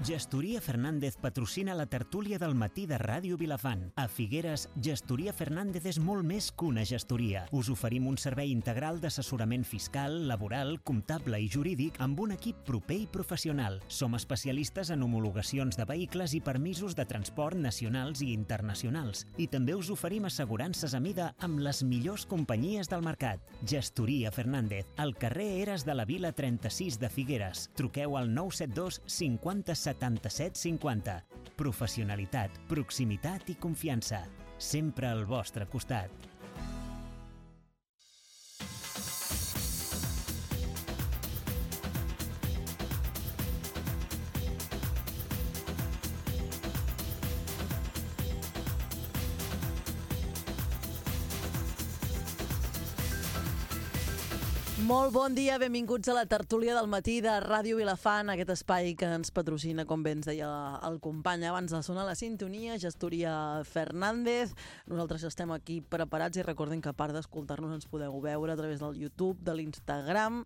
Gestoria Fernández patrocina la tertúlia del matí de Ràdio Vilafant. A Figueres, Gestoria Fernández és molt més que una gestoria. Us oferim un servei integral d'assessorament fiscal, laboral, comptable i jurídic amb un equip proper i professional. Som especialistes en homologacions de vehicles i permisos de transport nacionals i internacionals. I també us oferim assegurances a mida amb les millors companyies del mercat. Gestoria Fernández, al carrer Eres de la Vila 36 de Figueres. Truqueu al 972 50 77 50. Professionalitat, proximitat i confiança. Sempre al vostre costat. Molt bon dia, benvinguts a la tertúlia del matí de Ràdio Vilafant, aquest espai que ens patrocina, com bé ens deia el company abans de sonar la sintonia, Gestoria Fernández. Nosaltres estem aquí preparats i recordem que a part d'escoltar-nos ens podeu veure a través del YouTube, de l'Instagram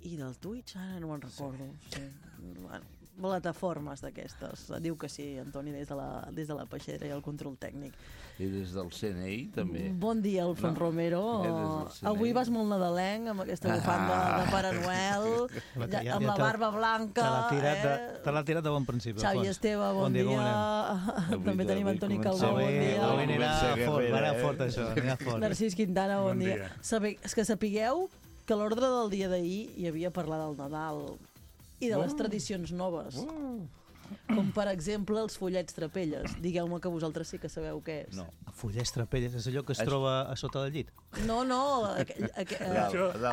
i del Twitch, ara no me'n recordo. Sí. Bueno, plataformes d'aquestes. Diu que sí, Antoni, des de la peixera i el control tècnic. I des del CNI, també. Bon dia, Alfons Romero. Avui vas molt nadalenc, amb aquesta bufanda de Pare Noel, amb la barba blanca. Te l'ha tirat de bon principi. Xavi Esteve, bon dia. També tenim Antoni Calbó, bon dia. Avui anirà fort, això. Narcís Quintana, bon dia. És que sapigueu que a l'ordre del dia d'ahir hi havia parlar del Nadal i de les tradicions noves, com per exemple els follets trapelles. Digueu-me que vosaltres sí que sabeu què és. No, follets trapelles és allò que es troba a sota del llit? No,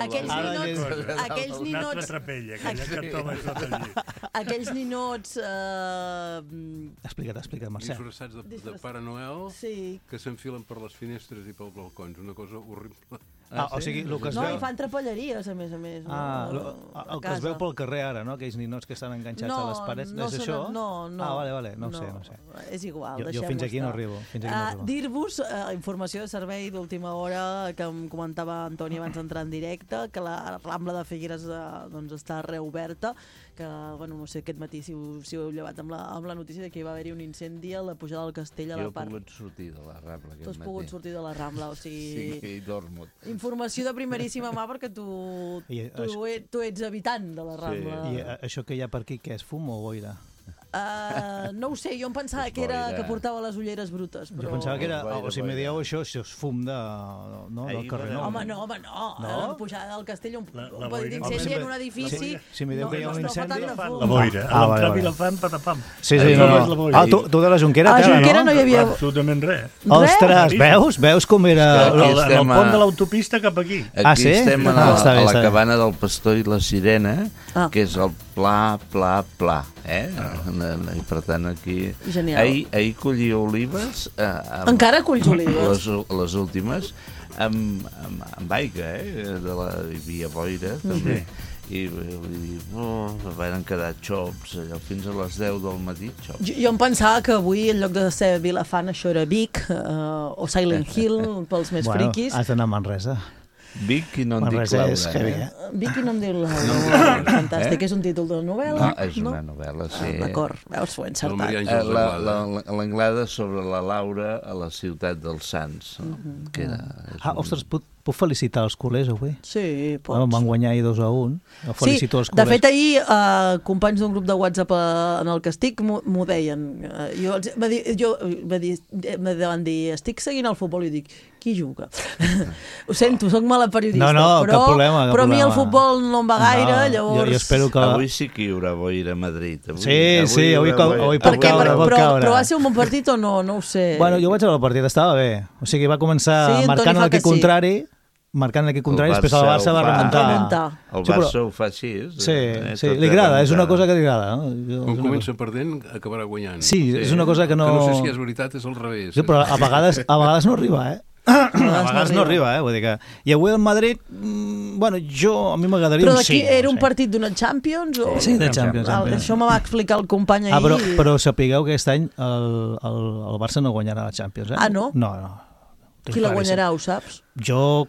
aquells ninots Explica't, Marcel. Disfressats de Pare Noel que s'enfilen per les finestres i pels balcons, una cosa horrible. O sigui, el que es veu... No, i fan trapelleries, a més. El que es veu pel carrer ara, no? Aquells ninots que estan enganxats a les parets, és això? No. Vale, no ho sé. És igual, jo fins aquí no arribo. Dir-vos, informació de servei d'última hora, que em comentava Antoni abans d'entrar en directe, que la Rambla de Figueres està reoberta, que, no sé, aquest matí si heu llevat amb la notícia de que hi va haver-hi un incendi a la pujada del castell a la part... Jo he pogut sortir de la Rambla aquest matí. Tu has pogut sortir de la Rambla, o sigui... Sí, i dormo. Informació de primeríssima mà, perquè tu ets habitant de la Rambla. I això que hi ha per aquí, què és, fum o boira? No ho sé, jo em pensava que portava les ulleres brutes. Jo pensava que era, si me dieu això és fum del carrer. Home, no. La pujada del castell, un petit incendi en un edifici... Si me dieu que hi ha un incendi... La boira. A l'entrar Vilafant, patapam. Sí. Tu de la Jonquera, a la Jonquera no hi havia... Absolutament res. Ostres, veus com era... El pont de l'autopista cap aquí. Aquí estem a la cabana del Pastor i la Sirena, que és el pla. I per tant aquí... Ahir collia olives... Encara colls olives? Les últimes, amb aigua, hi havia boira, també. I van quedar xops allò fins a les 10 del matí. Jo em pensava que avui, en lloc de ser Vilafant, això era Vic o Silent Hill, pels més friquis. Has d'anar a Manresa. Vic i no em dic Laura. Vic i no em dic Laura. Fantàstic. És un títol de novel·la? No, és una novel·la, sí. D'acord, veus, ho he encertat. L'Anglada sobre la Laura a la ciutat dels Sants. Ostres, puc felicitar els culers avui? Sí, pots. Van guanyar ahir 2-1. Felicito els culers. De fet, ahir companys d'un grup de WhatsApp en el que estic m'ho deien. Van dir, estic seguint el futbol i dic, qui juga? Ho sento, soc mala periodista. Cap problema. Però a mi el futbol no em va gaire, llavors... Jo espero que... Avui sí que hi haurà boira a Madrid. Sí, avui pot caure. Però va ser un bon partit o no? No ho sé. Bueno, jo vaig veure el partit, estava bé. O sigui, va començar marcant l'equip contrari, després el Barça va remuntar. El Barça ho fa així. Sí, li agrada, és una cosa que li agrada. Quan comença perdent, acabarà guanyant. Sí, és una cosa que no... Que no sé si és veritat, és al revés. Sí, però a vegades no arriba, A vegades no arriba, vull dir que... I avui el Madrid, a mi m'agradaria un 5. Però d'aquí era un partit d'una Champions? Sí, de Champions. Això me va explicar el company ahir. Però sapigueu que aquest any el Barça no guanyarà la Champions. No? No. Qui la guanyarà, ho saps? Jo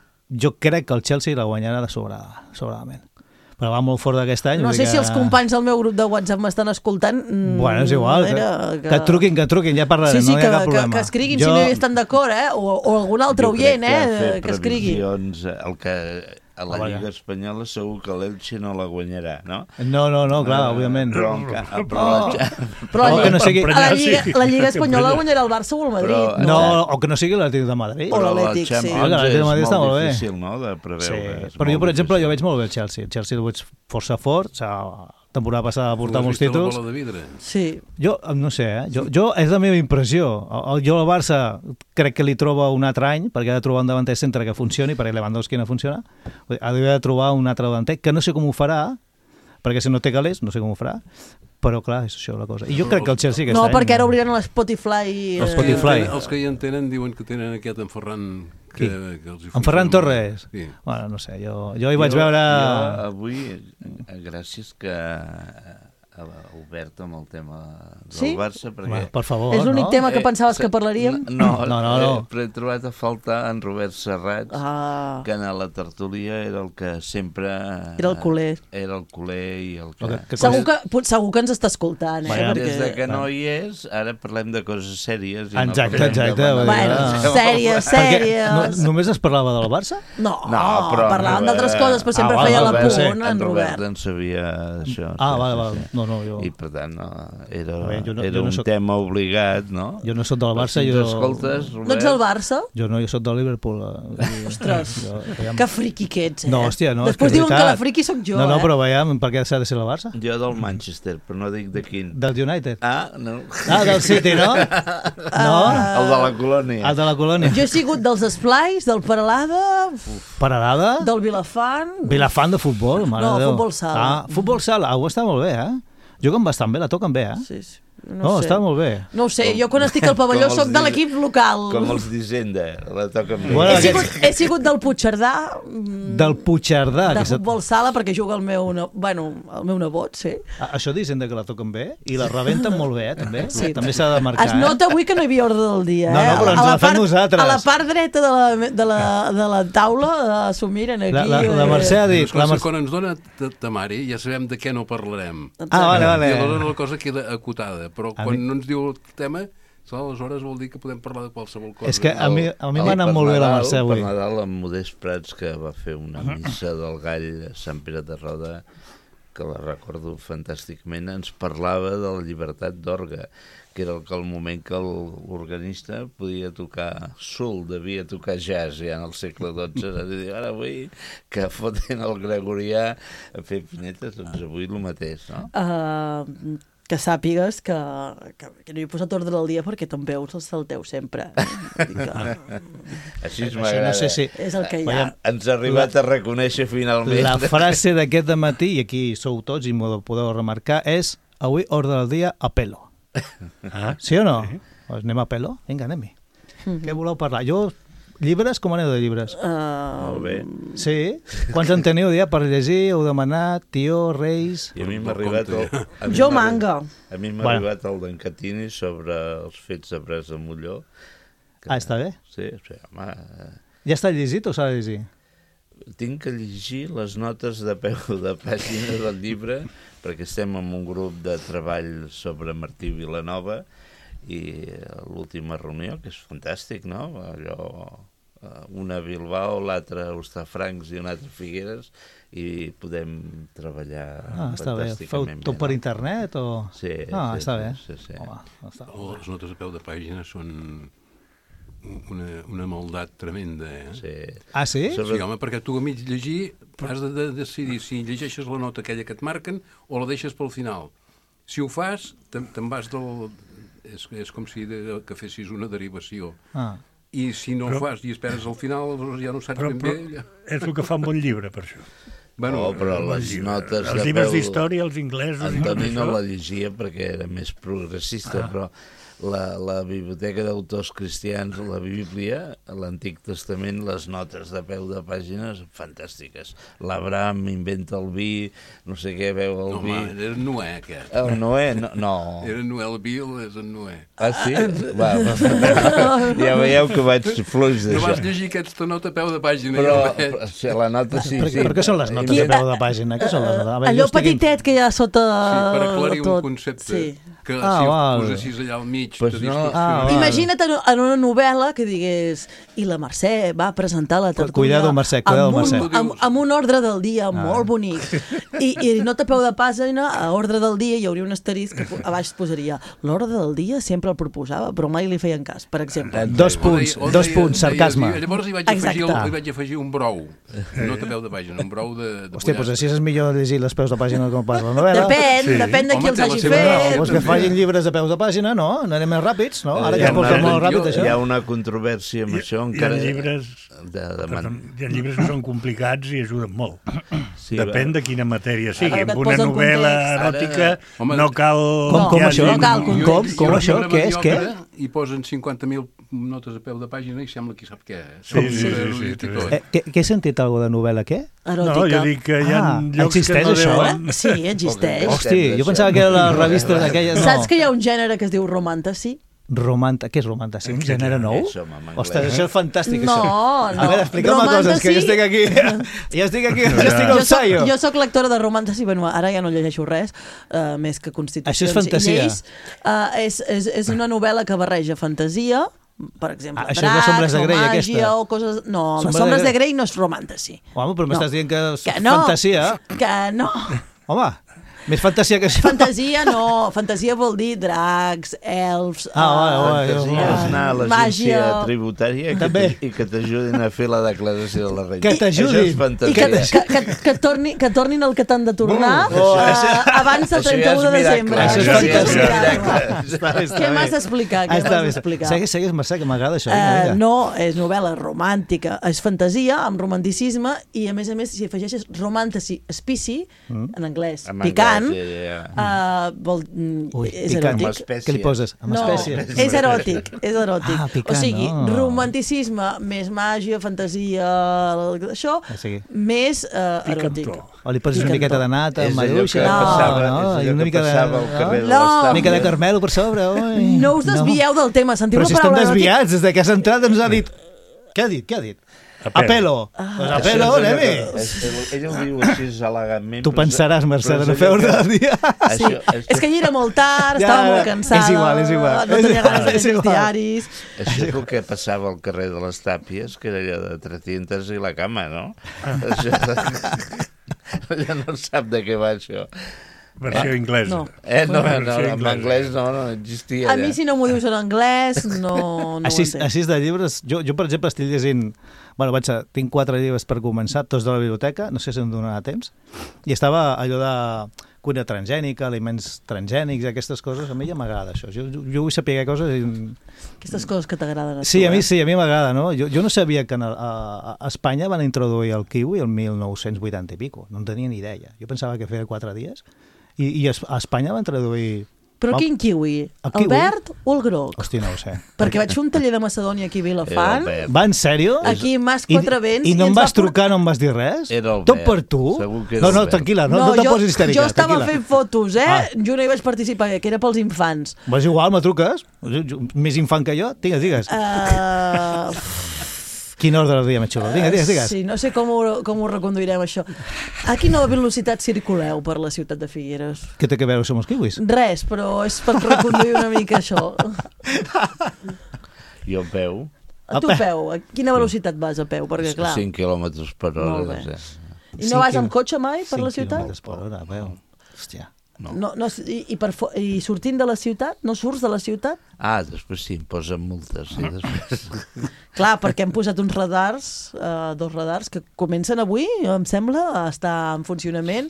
crec que el Chelsea la guanyarà sobradament. però va molt fort d'aquest any. No sé si els companys del meu grup de WhatsApp m'estan escoltant. Bueno, és igual, que et truquin, ja parlarem, no hi ha cap problema. Que escriguin si no hi estan d'acord, o algun altre oient, que escrigui. El que a la Lliga Espanyola segur que l'Elche no la guanyarà, no? No, clar, òbviament. Però la Lliga Espanyola guanyarà el Barça o el Madrid. No, o que no sigui l'Atlètic de Madrid. O l'Atlètic, sí. L'Atlètic de Madrid està molt bé. És molt difícil, no?, de preveure. Però jo, per exemple, veig molt bé el Chelsea. El Chelsea el veig força fort, temporada passada va portar molts títols. Sí. Jo, no sé, jo és la meva impressió. Jo al Barça crec que li troba un altre any, perquè ha de trobar un davanter centre que funcioni, perquè Lewandowski no funciona. Ha de trobar un altre davanter, que no sé com ho farà, perquè si no té calés, no sé com ho farà, però clar, és això la cosa. I jo crec que el Chelsea aquest any... No, perquè ara obriran l'Spotify... Els que hi entenen diuen que tenen aquest en Ferran... En Ferran Torres? Sí. Bueno, no sé, jo hi vaig veure... Jo avui, gràcies que ha obert amb el tema del Barça, perquè... Per favor, és l'únic tema que pensaves que parlaríem? No. Però he trobat a faltar en Robert Serrats, que en la tertúlia era el que sempre... Era el culer. Era el culer i el que... Segur que ens està escoltant, Des que no hi és, ara parlem de coses sèries. Exacte. Bueno, sèries. Només es parlava del Barça? No, parlàvem d'altres coses, però sempre feia la punt, en Robert. En sabia això. Vale. I per tant era un tema obligat, no? Jo no soc del Barça. No ets del Barça? Jo soc del Liverpool. Ostres, que friqui que ets, No, hòstia, no. Després diuen que la friqui sóc jo, No, però veiem, per què s'ha de ser el Barça? Jo del Manchester, però no dic de quin. Del United? No. Del City, no? No? El de la Colònia. El de la Colònia. Jo he sigut dels Esplais, del Peralada... Peralada? Del Vilafant... Vilafant de futbol, mare de Déu. Futbol sala. Futbol sala, està molt bé, Juguen bastant bé, la toquen bé, Sí. No, està molt bé. No ho sé, jo quan estic al pavelló soc de l'equip local. Com els d'Hisenda, la toquen bé. He sigut del Puigcerdà. Del Puigcerdà. De futbol sala, perquè juga el meu nebot, sí. Això d'Hisenda que la toquen bé, i la rebenten molt bé, també. Sí. També s'ha de marcar. Es nota avui que no hi havia ordre del dia, No, però ens la fem nosaltres. A la part dreta de la taula s'ho miren aquí. La Mercè ha dit... Quan ens dona temari ja sabem de què no parlarem. Vale. I aleshores la cosa queda acotada. Però quan no ens diu el tema, aleshores vol dir que podem parlar de qualsevol cosa. És que a mi m'ha anat molt bé la Mercè avui. Per Nadal, en Modest Prats, que va fer una missa del Gall a Sant Pere de Roda, que la recordo fantàsticament, ens parlava de la llibertat d'orgue, que era el moment que l'organista podia tocar soul, devia tocar jazz ja en el segle XII. Ara avui que foten el gregorià a fer pinetes, doncs avui el mateix, no? Que sàpigues que no hi he posat ordre del dia perquè te'n veus els salteu sempre. Així m'agrada. No sé si... És el que hi ha. Ens ha arribat a reconèixer finalment. La frase d'aquest dematí, i aquí sou tots i m'ho podeu remarcar, és avui ordre del dia a pelo. Sí o no? Pues anem a pelo? Vinga, anem-hi. Què voleu parlar? Llibres? Com aneu de llibres? Molt bé. Sí? Quants en teniu ja per llegir? Heu demanat? Tió, Reis? I a mi m'ha arribat... Jo manga. A mi m'ha arribat el d'en Catini sobre els fets de Pres de Molló. Està bé? Sí, home... Ja està llegit o s'ha de llegir? Tinc que llegir les notes de peu de pàgina del llibre, perquè estem en un grup de treball sobre Martí Vilanova i l'última reunió, que és fantàstic, no? Allò... una a Bilbao, l'altra a Hostafrancs i una altra a Figueres, i podem treballar fantàsticament. Feu tot per internet? Sí. Està bé. Les notes a peu de pàgina són una maldat tremenda, Sí. Ah, sí? Sí, home, perquè tu a mig llegir has de decidir si llegeixes la nota aquella que et marquen o la deixes pel final. Si ho fas, te'n vas del... És com si que fessis una derivació. I si no ho fas i esperes al final, ja no saps ben bé. És el que fa un bon llibre, per això. Bueno, però les notes... Els llibres d'història, els inglesos... Antoni no la llegia perquè era més progressista, però la biblioteca d'autors cristians, la Bíblia, l'Antic Testament, les notes de peu de pàgines fantàstiques. L'Abraham inventa el vi, no sé què, veu el vi... Home, era Noé, aquest. El Noé, no. Era Noé, el vi és en Noé. Ah, sí? Va. Ja veieu que vaig fluix No d'això. vas llegir aquesta nota a peu de pàgina. Però sí, la nota sí. Per què són les notes de peu de pàgina? Què són les notes? Allò petitet que hi ha sota... Sí, per aclarir un tot. concepte. Sí. Que Ah, si val. el posessis allà al mig... Pues te no. distorsionaria. Imagina't en una novel·la que digués i la Mercè va presentar la tertúlia Cuidado, Mercè, cuidado, Mercè. amb un ordre del dia molt bonic i nota a peu de pàgina a ordre del dia hi hauria un asterisc que a baix posaria l'ordre del dia sempre el proposava però mai li feien cas, per exemple. Dos punts, sarcasme. Llavors hi vaig afegir un brou. No a peu de pàgina, un brou de Hòstia, doncs així és millor llegir les peus de pàgina com pas la novel·la. Depèn de qui Home, els té la hagi seva raó. fet. Doncs que facin llibres de peus de pàgina, no? Anem més ràpids, no? Ara que es porta molt ràpid, això. Hi ha una controvèrsia amb això Hi ha encara... llibres... De Hi ha llibres que són complicats i ajuden molt. Sí, Depèn de quina matèria sigui. Ara que et Amb una posen novel·la context. eròtica Home, no cal... Com que hi això? hagi- No cal context. Com això? Què és? Què? I posen 50.000 notes a peu de pàgina i sembla qui sap què. Sí. Què he sentit, alguna de novel·la, què? No, Eròtica. jo dic que hi ha llocs que existeix no això, deuen... Sí, existeix. Hosti, jo pensava que era la revista d'aquella... No. Saps que hi ha un gènere que es diu romantasy? Què és romantasy? Un gènere nou? Això, en anglès. Ostres, això és fantàstic, No, això. no. A veure, explica'm coses, que jo estic aquí... Jo estic al saio. Jo soc lectora de romantasy, bueno, ara ja no llegeixo res, més que constitucions Això és fantasia. i lleis. És una novel·la que barreja fantasia, per exemple, Això és les Sombres de Grey, o aquesta. màgia o coses... No, les Sombres Sombres de de Grey no és romantasy. Home, però m'estàs dient que és Que no. fantasia. Que no. Home, més fantasia que això. Fantasia no. Fantasia vol dir dracs, elfs... Fantasia és anar a l'agència màgia. tributària També. i que t'ajudin a fer la declaració de la renda. Que t'ajudin. Això és I fantasia. que tornin el que t'han de tornar abans del Això ja 31 és de miracle. desembre. Això és sí que és fantàsia. miracle. Què m'has d'explicar? Què m'has d'explicar? Segueix, Mercè, que m'agrada això. Vinga. No, és novel·la romàntica, és fantasia amb romanticisme i a més, si afegeixes romantasy spicy, en anglès, En picant, anglès, ja. Ui, és picant. Amb eròtic. espècie. Què li poses? Amb No, espècie? és eròtic, és eròtic. Ah, picant, o sigui, no. romanticisme més màgia, fantasia, això, sí. més eròtic. Picantó. O li poses una Picantó. miqueta de nata, És allò maduixa... que passava, no? és I allò una que mica de... passava al carrer de No. l'Estable. Una mica de carmelo per sobre. Ui. No us desvieu del tema, sentiu Però la si estem paraula eròtic? desviats, des de que has entrat ens ha dit... Què ha dit? Apelo. Pues apelo, Nemi. Ell ho diu així elegantment. Tu pensaràs, Mercè, de no fer ordre del dia. Sí, és que hi era molt tard, Ja, estava molt cansada, és igual. no tenia ganes de És llegir els igual. diaris. Això és el que passava al carrer de les Tàpies, que era allò de 300 i la cama, no? Això... Ja no sap de què va això. Versió inglesa. No. No, Versió en anglès no existia. A mi, si no m'ho dius en anglès, no ho entenc. Així de llibres, jo, per exemple, estic llegint... Bueno, tinc 4 llibres per començar, tots de la biblioteca, no sé si em donarà temps, i estava allò de cuina transgènica, aliments transgènics, aquestes coses, a mi ja m'agrada això. Jo vull saber coses... Aquestes coses que t'agraden a tu, Sí, a mi m'agrada, no? Jo no sabia que a Espanya van introduir el kiwi el 1980 i pico, no en tenia ni idea. Jo pensava que feia 4 dies, i a Espanya van introduir... Però quin kiwi? El El kiwi? verd o el groc? Hosti, no ho sé. Perquè vaig fer un taller de Macedònia aquí a Vilafant, Va, en sèrio? aquí a Mas Quatre Vents, I no em ens vas va trucar, no em vas dir res? Era el Tot verd. per tu? Segur que era No, el verd. tranquil·la, no te posis histèrica. jo estava tranquil·la. fent fotos, Ah. Jo no hi vaig participar, que era pels infants. És igual, me truques. Més infant que jo. Digues. Quin ordre del dia, més xulo. Digues. Sí, no sé com ho reconduirem, això. A quina velocitat circuleu per la ciutat de Figueres? Què té que veure amb els kiwis? Res, però és per reconduir una mica això. Jo a peu, A tu a peu, a quina velocitat vas a peu? Perquè, clar, 5 quilòmetres per hora. Molt bé. Ja. i no vas amb cotxe mai per la 5 ciutat? quilòmetres per hora, veu. Hòstia. No, i sortint de la ciutat? No surts de la ciutat? Després sí, em posen multes. Sí, després. Clar, perquè hem posat uns radars, 2 radars, que comencen avui, em sembla, a estar en funcionament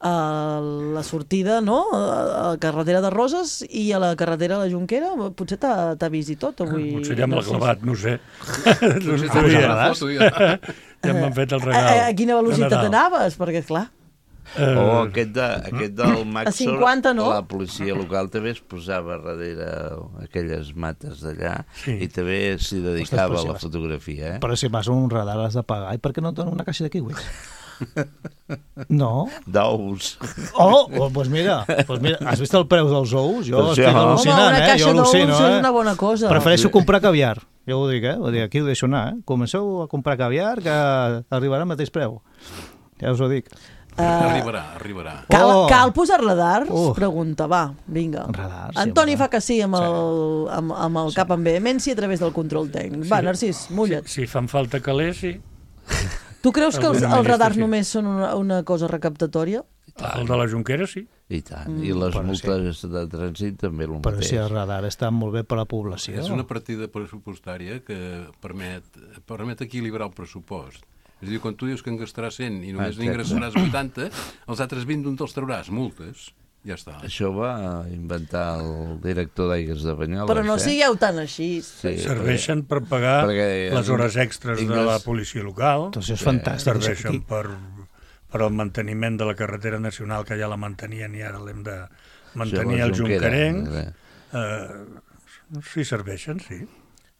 a la sortida, no?, a la carretera de Roses i a la carretera de la Jonquera. Potser t'ha vist i tot avui. Potser ja me l'ha clavat, no ho sé. No Potser sabia. la foto, ja. Ja m'han fet el regal. A quina velocitat de Nadal. anaves? Perquè, clar... O aquest del Maxor, 50, no? la policia local també es posava darrere aquelles mates d'allà i també s'hi dedicava a la fotografia. Però si vas a un radar has de pagar. I per què no et donen una caixa de kiwis? No? D'ous. Doncs mira, has vist el preu dels ous? Jo Doncs estic ja. al·lucinant, Home, una caixa Jo d'ous al·lucino, és una bona cosa. Prefereixo comprar caviar, ja ho dic, Vull dir, aquí ho deixo anar, Comenceu a comprar caviar que arribarà al mateix preu. Ja us ho dic. Arribarà. Cal posar radar? Pregunta, va, vinga. Radar, sí, Antoni home. fa que sí amb el cap amb vehemència a través del control tècnic. Va, Narcís, mulla't. Si fan falta calés, sí. Tu creus que els Alguna radars sí. només són una cosa recaptatòria? El de la Jonquera, sí. I tant. I les multes de trànsit també el Però mateix. si el radar està molt bé per a la població. És una partida pressupostària que permet equilibrar el pressupost. És a dir, quan tu dius que en gastaràs 100 i només n'ingressaràs 80, els altres 20 d'on te'ls trauràs? Multes. Ja està. Això va inventar el director d'Aigues de Banyoles. Però no sigueu tan així. Sí, Serveixen per pagar les hores extres de la policia local. Doncs és fantàstic. Serveixen per al manteniment de la carretera nacional, que ja la mantenien i ara l'hem de mantenir al Jonquerenc. Sí, serveixen, sí.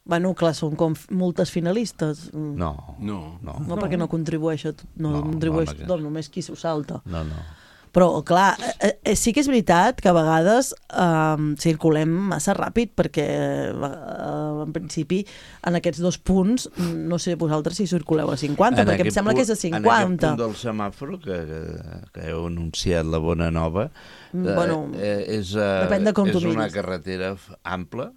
Bueno, clar, són com multes finalistes. No, perquè no contribueix només qui s'ho salta. No. Però, clar, sí que és veritat que a vegades circulem massa ràpid perquè, en principi, en aquests 2 punts, no sé vosaltres si circuleu a 50, perquè em sembla que és a 50. En aquest punt del semàfor, que heu anunciat la bona nova, és una carretera ampla,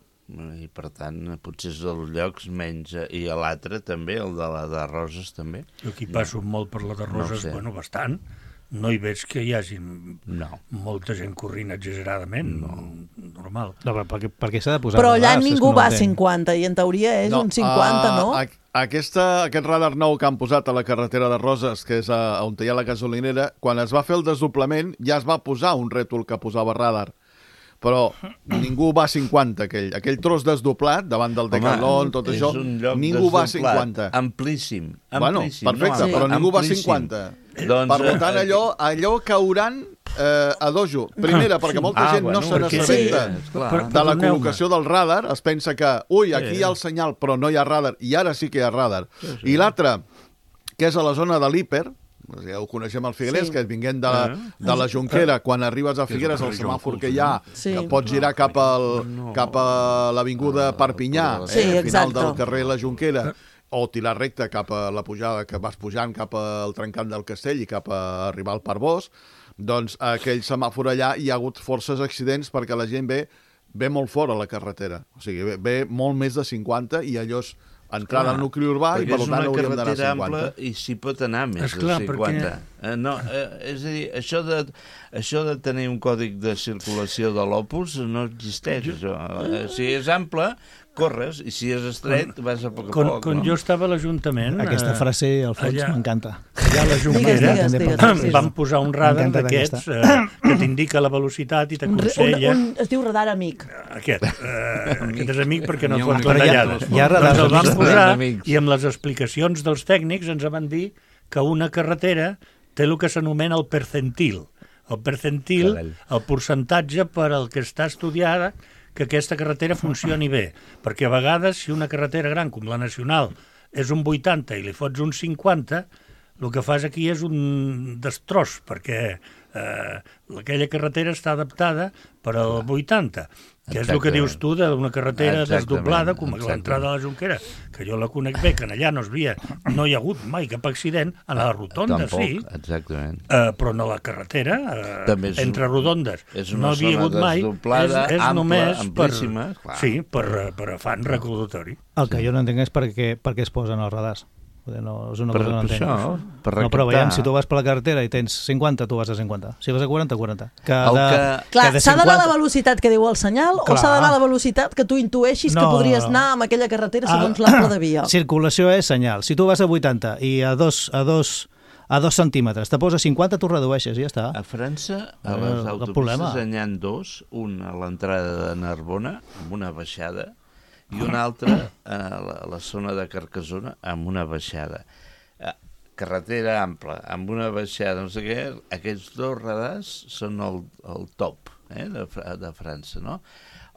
i per tant potser és dels llocs menys, i a l'altre també, el de la de Roses també. Jo aquí passo molt per la de Roses, bastant. No hi veig que hi hagi molta gent corrent exageradament, normal. No, però per què s'ha de posar? Però allà ningú va a 50 i en teoria és un 50, no? Aquest radar nou que han posat a la carretera de Roses, que és on hi ha la gasolinera, quan es va fer el desdoblament ja es va posar un rètol que posava radar. Però ningú va a 50, aquell tros desdoblat davant del Decathlon, tot això, ningú va a 50. Amplíssim. Bueno, perfecte, però ningú va a 50. Per tant, allò cauran a dojo. Primera, perquè molta gent no se n'assabenta de la col·locació del radar, es pensa que, aquí hi ha el senyal, però no hi ha radar, i ara sí que hi ha radar. I l'altre, que és a la zona de l'Hiper, ja ho coneixem al Figueres, que vinguent de la Jonquera, quan arribes a Figueres, el semàfor que hi ha, que pots girar cap a l'avinguda Perpinyà, al final del carrer La Jonquera, o tirar recte cap a la pujada, que vas pujant cap al trencant del Castell i cap a arribar al Parc Bosc, doncs aquell semàfor allà hi ha hagut forces accidents perquè la gent ve molt fora a la carretera. O sigui, ve molt més de 50 i allò és entrada al nucli urbà i per tant hauríem d'anar a 50. Perquè és una carretera ampla i s'hi pot anar més de 50. És a dir, això de tenir un còdic de circulació de l'Opus no existeix. Si és ample, corres, i si és estret vas a poc a poc. Quan jo estava a l'Ajuntament... Aquesta frase, al fons, m'encanta. Allà a la Jonquera van posar un radar d'aquests que t'indica la velocitat i t'aconsella... Es diu radar amic. Aquest és amic perquè no et fots les tallades. Hi ha radars el van posar i amb les explicacions dels tècnics ens van dir que una carretera té el que s'anomena el percentil. El percentil, el percentatge per al que està estudiada que aquesta carretera funcioni bé, perquè a vegades si una carretera gran com la nacional és un 80 i li fots un 50, el que fas aquí és un destroç, perquè aquella carretera està adaptada per al 80, que és el que dius tu d'una carretera desdoblada com l'entrada a la Jonquera, que jo la conec bé, que allà no hi ha hagut mai cap accident, a la rotonda sí, però no la carretera, entre rodondes, no havia hagut mai, és només per afany recaudatori. El que jo no entenc és per què es posen els radars. No, és una cosa que no entenc. No, però veiem, si tu vas per la carretera i tens 50, tu vas a 50. Si vas a 40, 40. Clar, s'ha d'anar a la velocitat que diu el senyal o s'ha d'anar a la velocitat que tu intueixis que podries anar amb aquella carretera segons l'ample de via? Circulació és senyal. Si tu vas a 80 i a 2 centímetres te poses 50, tu redueixes i ja està. A França, a les autopistes n'hi ha 2, un a l'entrada de Narbona, amb una baixada, i una altra a la zona de Carcassona amb una baixada. carretera ampla, amb una baixada, no sé què, aquests 2 radars són el top de França, no?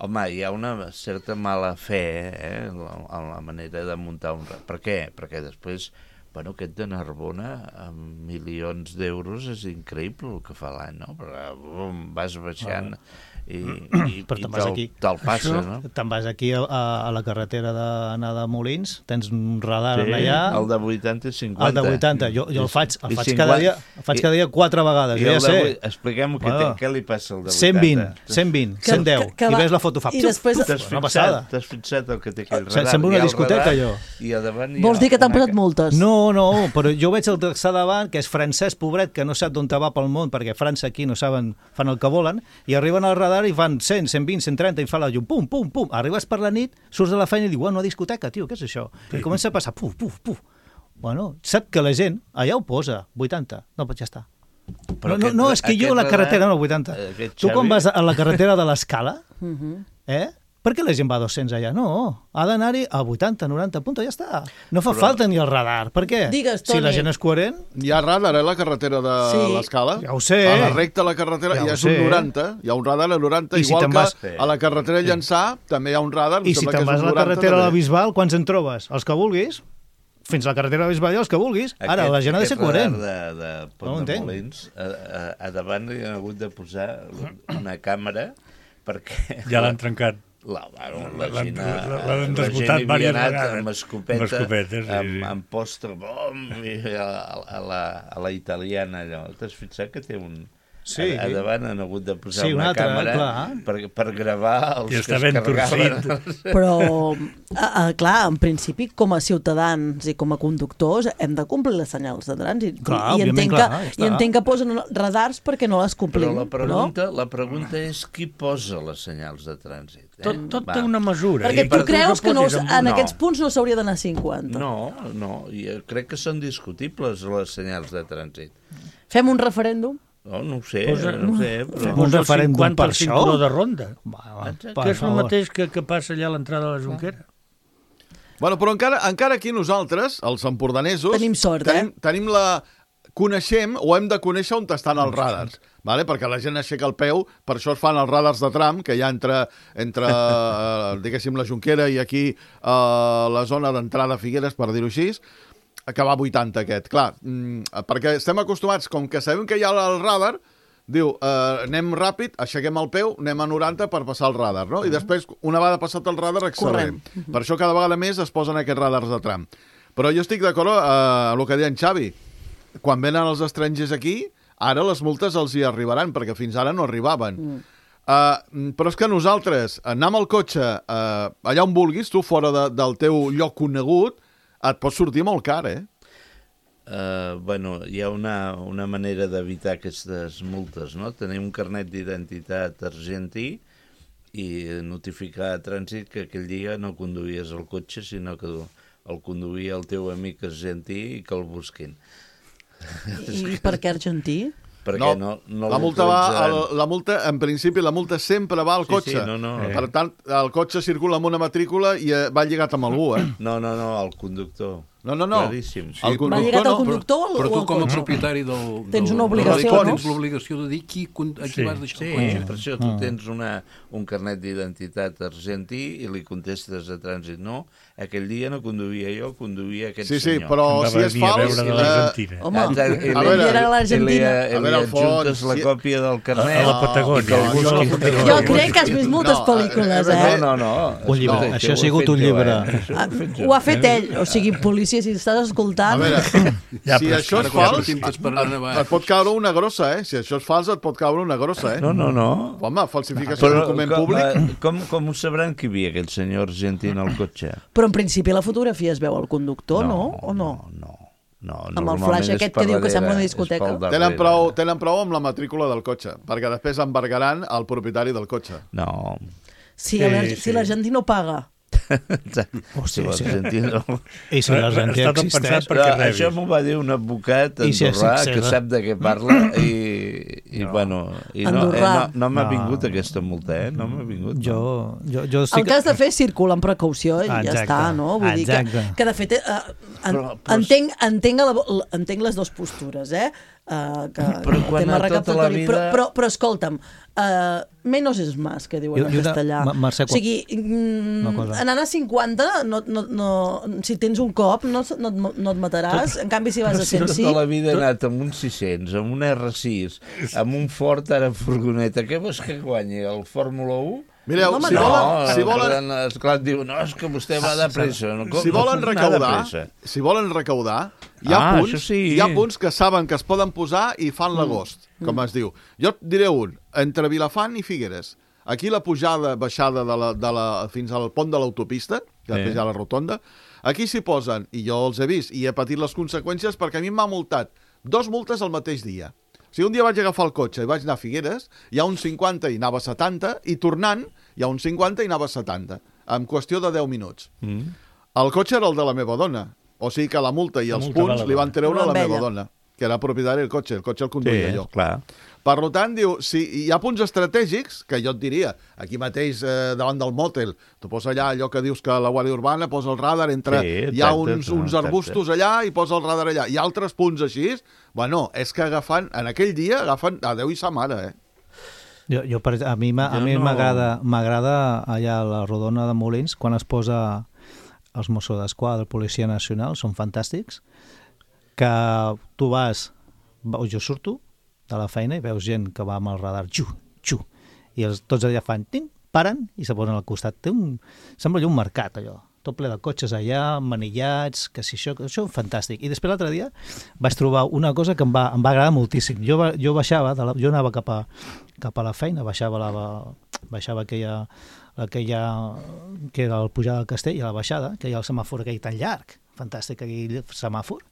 Home, hi ha una certa mala fe en la manera de muntar un radar. Per què? Perquè després, aquest de Narbona, amb milions d'euros, és increïble el que fa l'any, no? Però vas baixant i te'l passa, no? Te'n vas aquí a la carretera d'anar de Molins, tens un radar allà... El de 80 i 50. El de 80, jo el faig cada dia 4 vegades, jo ja sé. Expliquem què li passa al de 80. 120, 110, i ves la foto, fa... T'has fixat el que té aquell radar. Sembla una discoteca, allò. Vols dir que t'han posat multes? No, però jo veig el que davant, que és francès, pobret, que no sap d'on va pel món, perquè a França aquí no saben, fan el que volen, i arriben al radar i fan 100, 120, 130, i fa la llum, pum, pum, pum. Arribes per la nit, surts de la feina i dius, una discoteca, tio, què és això? I comença a passar, puf, puf, puf. Bueno, sap que la gent allà ho posa, 80. No, ja està. No, és que jo la carretera, no, 80. Tu quan vas a la carretera de l'Escala, per què la gent va a 200 allà? No, ha d'anar-hi a 80, 90 punts, ja està. No fa falta ni el radar. Per què? Digues, Toni. Si la gent és coherent... Hi ha radar a la carretera de l'Escala. Ja ho sé. A la recta de la carretera ja és un 90. Hi ha un radar a 90, igual que a la carretera Llançà també hi ha un radar. I si te'n vas a la carretera de la Bisbal, quants en trobes? Els que vulguis. Fins a la carretera de la Bisbal i els que vulguis. Ara, la gent ha de ser coherent. Aquest radar de Pont de Molins, a davant hi han hagut de posar una càmera perquè... Ja l'han trencat. La gent hi havia anat amb escopeta, amb postre, a la italiana, allò. T'has fixat que té un... A davant han hagut de posar una càmera per gravar els que es carregaven. Però, clar, en principi, com a ciutadans i com a conductors, hem de complir les senyals de trànsit. I entenc que posen radars perquè no les complim. Però la pregunta és qui posa les senyals de trànsit. Tot té una mesura. Perquè tu creus que en aquests punts no s'hauria d'anar 50. No, crec que són discutibles les senyals de trànsit. Fem un referèndum? No ho sé, però... Un referèndum per això? Cinturó de ronda. Que és el mateix que passa allà a l'entrada de la Jonquera. Bueno, però encara aquí nosaltres, els empordanesos... Tenim sort, tenim coneixem o hem de conèixer on estan els radars, perquè la gent aixeca el peu, per això es fan els radars de tram, que hi ha entre diguéssim, la Jonquera i aquí la zona d'entrada a Figueres, per dir-ho així, que va a 80 aquest, clar, perquè estem acostumats, com que sabem que hi ha el radar, diu, anem ràpid, aixequem el peu, anem a 90 per passar el radar, no? I després, una vegada passat el radar, accelerem. Per això cada vegada més es posen aquests radars de tram. Però jo estic d'acord amb el que deia en Xavi. Quan venen els estrangers aquí, ara les multes els hi arribaran, perquè fins ara no arribaven. Però és que nosaltres, anar amb el cotxe allà on vulguis, tu fora del teu lloc conegut, et pot sortir molt car, hi ha una manera d'evitar aquestes multes, no? Tenir un carnet d'identitat argentí i notificar a trànsit que aquell dia no conduïes el cotxe, sinó que el conduïa el teu amic argentí i que el busquin. I per què argentí? Perquè no la multa, en principi, la multa sempre va al cotxe. Per tant, el cotxe circula amb una matrícula i va lligat amb algú, No, el conductor. No. Claríssim. Va lligat al conductor o al cotxe? Però tu, com a propietari del... Tens una obligació, no? Tens l'obligació de dir a qui vas deixar el cotxe. Per això tu tens un carnet d'identitat argentí i li contestes a trànsit, no, aquell dia no conduïa jo, conduïa aquest senyor. Sí, però si és fals... Home, era l'Argentina. I li adjuntes la còpia del carnet. A la Patagònia. Jo crec que has vist moltes pel·lícules, No. Un llibre. Això ha sigut un llibre. Ho ha fet ell, o sigui, policia, si estàs escoltant... A veure, si això és fals, et pot caure una grossa, Si això és fals, et pot caure una grossa, No. Home, falsificació de document públic... Com ho sabran que hi havia aquell senyor argentí en el cotxe? Però en principi la fotografia es veu al conductor, no? O no? No, amb el flash aquest que diu que sembla una discoteca. Tenen prou amb la matrícula del cotxe, perquè després embargaran el propietari del cotxe. No. Si l'argentí no paga. Si l'argentí no... I si l'argentí existeix... Això m'ho va dir un advocat andorrà que sap de què parla i no m'ha vingut aquesta multa, no m'ha vingut. El que has de fer és circular amb precaució i ja està, no? Vull dir que de fet, entenc les dues postures, però quan a tota la vida... Però escolta'm, menos es más, que diuen en castellà. O sigui, anant a 50, si tens un cop, no et mataràs. En canvi, si vas a 105... Tota la vida he anat amb un 600, amb un R6, amb un Ford ara furgoneta. Què vols que guanyi? El Fórmula 1? Mireu, si volen... Esclar, diu, no, és que vostè va de pressa. Si volen recaudar, hi ha punts que saben que es poden posar i fan l'agost, com es diu. Jo et diré un, entre Vilafant i Figueres. Aquí la pujada, baixada fins al pont de l'autopista, que després hi ha la rotonda, aquí s'hi posen, i jo els he vist, i he patit les conseqüències perquè a mi m'ha multat 2 multes al mateix dia. Si un dia vaig agafar el cotxe i vaig anar a Figueres, hi ha un 50 i anava a 70, i tornant hi ha un 50 i anava a 70, en qüestió de 10 minuts. El cotxe era el de la meva dona, o sigui que la multa i els punts li van treure a la meva dona, que era propietari del cotxe el conduïa jo. Clar. Per tant, diu, si hi ha punts estratègics, que jo et diria, aquí mateix davant del mòtel, tu posa allà allò que dius que la Guàrdia Urbana posa el radar entre... Hi ha uns arbustos allà i posa el radar allà. Hi ha altres punts així. Bueno, és que en aquell dia agafen a Déu i sa mare, A mi m'agrada allà a la Rodona de Molins, quan es posa els Mossos d'Esquadra, el Policia Nacional, són fantàstics, que tu vas, jo surto de la feina i veus gent que va amb el radar, i tots allà fan, paren i se posen al costat. Sembla allò un mercat, allò, tot ple de cotxes allà, manillats, que si això és fantàstic. I després l'altre dia vaig trobar una cosa que em va agradar moltíssim. Jo baixava, jo anava cap a la feina, baixava aquella que era el pujar del castell, i a la baixada, que hi ha el semàfor aquell tan llarg, fantàstic aquell semàfor,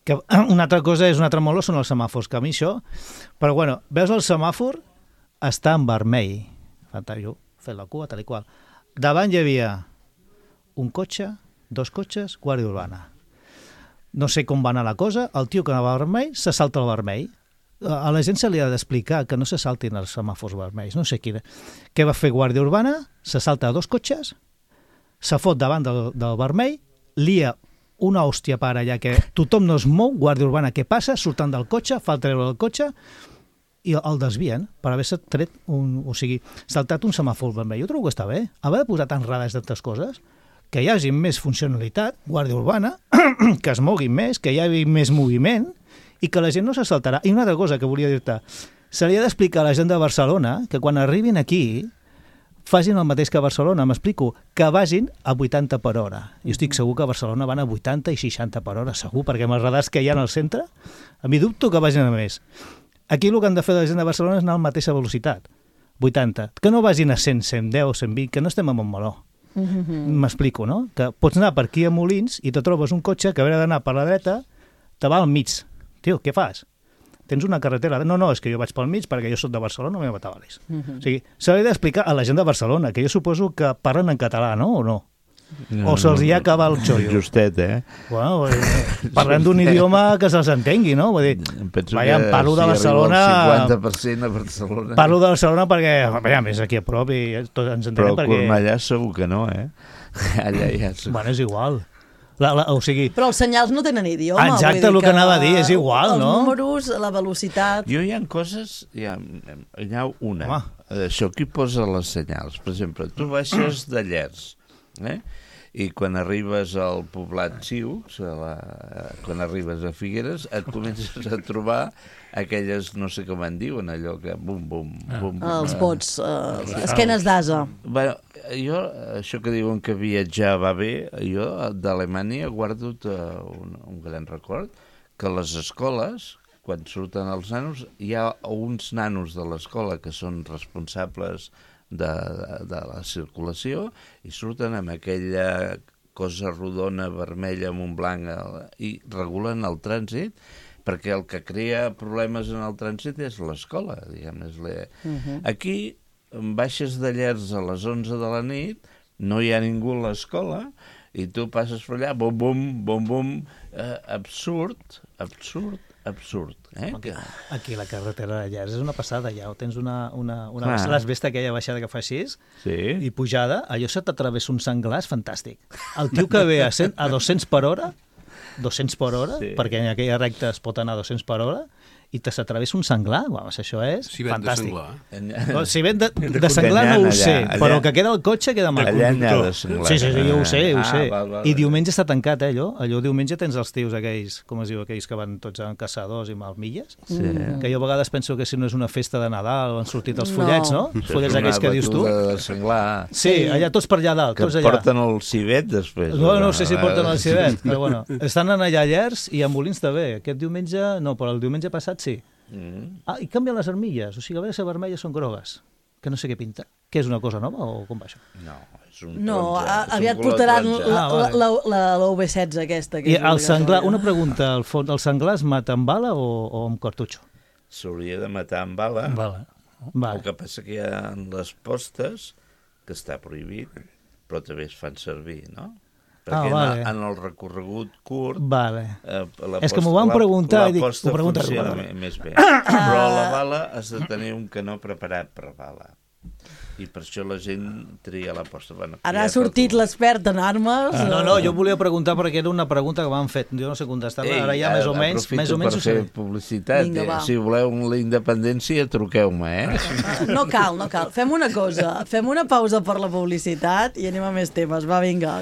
que una altra cosa és un altre moló, són els semàfors, que a mi això... Però bueno, veus el semàfor, està en vermell. Jo fet la cua, tal i qual. Davant hi havia un cotxe, 2 cotxes, Guàrdia Urbana. No sé com va anar la cosa, el tio que anava a vermell se salta el vermell. A la gent se li ha d'explicar que no se saltin els semàfors vermells, no sé què va fer Guàrdia Urbana, se salta 2 cotxes, se fot davant del vermell, lia una hòstia per allà que tothom no es mou, Guàrdia Urbana què passa, surten del cotxe, fa el treure del cotxe i el desvien per haver-se tret saltat un semàfor vermell. Jo trobo que està bé, haver de posar tants radars d'altres coses, que hi hagi més funcionalitat, Guàrdia Urbana, que es moguin més, que hi hagi més moviment i que la gent no se saltarà. I una altra cosa que volia dir-te, se li ha d'explicar a la gent de Barcelona que quan arribin aquí facin el mateix que a Barcelona, m'explico, que vagin a 80 per hora. Jo estic segur que a Barcelona van a 80 i 60 per hora, segur, perquè amb els radars que hi ha al centre, a mi dubto que vagin a més. Aquí el que han de fer la gent de Barcelona és anar a la mateixa velocitat, 80. Que no vagin a 100, 110, 120, que no estem a Montmeló. M'explico, no? Que pots anar per aquí a Molins i te trobes un cotxe que haurà d'anar per la dreta, te va al mig. Tio, què fas? Tens una carretera... No, és que jo vaig pel mig perquè jo soc de Barcelona, no m'he batavalis. O sigui, s'ha d'explicar a la gent de Barcelona, que jo suposo que parlen en català, no? O no? O se'ls hi acaba el xollo. Justet, Bueno, parlant d'un idioma que se'ls entengui, no? Vull dir, parlo de Barcelona... El 50% a Barcelona... Parlo de Barcelona perquè, més aquí a prop i tots ens entenem perquè... Però Cornellà segur que no, Allà ja... Bueno, és igual. Però els senyals no tenen idioma. Exacte, el que anava a dir, és igual, no? Els números, la velocitat... Hi ha coses... Hi ha una. Això, qui posa les senyals? Per exemple, tu baixes de Llers, i quan arribes al poblat Xius, quan arribes a Figueres, et comences a trobar aquelles, no sé com en diuen, allò que bum, bum, bum. Els bots, esquenes d'asa. Bueno, jo, això que diuen que viatjar va bé, jo d'Alemanya guardo un gran record, que les escoles, quan surten els nanos, hi ha uns nanos de l'escola que són responsables de la circulació i surten amb aquella cosa rodona, vermella, amb un blanc, i regulen el trànsit, perquè el que crea problemes en el trànsit és l'escola, diguem. Aquí, baixes de Llers a les 11 de la nit, no hi ha ningú a l'escola, i tu passes per allà, bum, bum, bum, bum, absurd, absurd. Aquí la carretera de Llers és una passada, ja. Tens l'esbesta aquella baixada que fa així, i pujada, allò se t'atravessa un senglar, és fantàstic. El tio que ve a 200 per hora, perquè en aquella recta es pot anar a 200 per hora, i te s'atravessa un senglar, això és fantàstic. Si ven de senglar no ho sé, però que queda el cotxe queda mal. Allà n'hi ha de senglar. Sí, jo ho sé. I diumenge està tancat, allò diumenge tens els tios aquells, com es diu, aquells que van tots amb caçadors i amb milles, que jo a vegades penso que si no és una festa de Nadal han sortit els follets, no? Els follets aquells que dius tu. Sí, allà tots per allà dalt. Que porten el civet després. No sé si porten el civet, però bueno, estan allà a Llers i a Molins també. Aquest diumenge, no, però el diumenge passat sí. I canvien les armilles, o sigui, a veure si vermelles són grogues, que no sé què pinta. Què és una cosa nova o com va això? No, és un taronja. Aviat portaran la UV16 aquesta. I el senglar, una pregunta, el senglar es mata amb bala o amb cartutxo? S'hauria de matar amb bala. El que passa que hi ha les postes, que està prohibit, però també es fan servir, no? Perquè en el recorregut curt... És que m'ho van preguntar i dic... La posta funciona més bé. Però la bala has de tenir un canó preparat per bala. I per això la gent tria la posta. Ara ha sortit l'expert en armes? No, jo volia preguntar perquè era una pregunta que m'han fet. Jo no sé contestar-la. Ara ja més o menys... Aprofito per fer publicitat. Si voleu la independència, truqueu-me, No cal. Fem una cosa. Fem una pausa per la publicitat i anem a més temes. Va, vinga.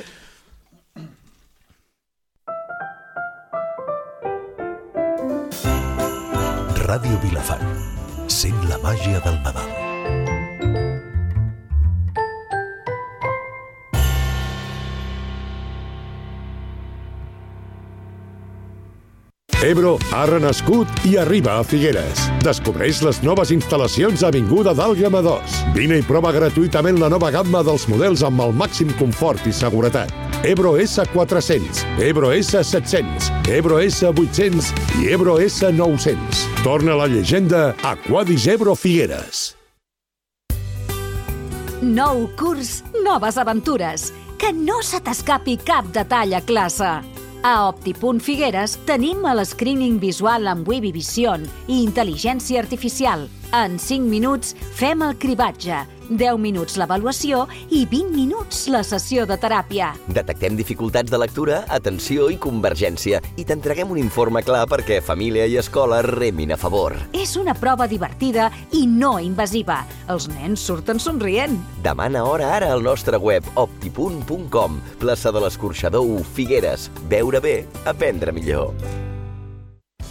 Ràdio Vilafant. Sent la màgia del Nadal. Ebro ha renascut i arriba a Figueres. Descobreix les noves instal·lacions a Avinguda d'Àlguema 2. Vine i prova gratuïtament la nova gamma dels models amb el màxim confort i seguretat. Ebro S400, Ebro S700, Ebro S800 i Ebro S900. Torna la llegenda Aquadis Ebro Figueres. Nou curs, noves aventures. Que no se t'escapi cap detall a classe. A Opti.Figueres tenim el screening visual amb Webby Vision i intel·ligència artificial. En 5 minuts fem el cribatge, 10 minuts l'avaluació i 20 minuts la sessió de teràpia. Detectem dificultats de lectura, atenció i convergència i t'entreguem un informe clar perquè família i escola remin a favor. És una prova divertida i no invasiva. Els nens surten somrient. Demana hora ara al nostre web opti.com, plaça de l'Escorxador 1, Figueres. Veure bé, aprendre millor.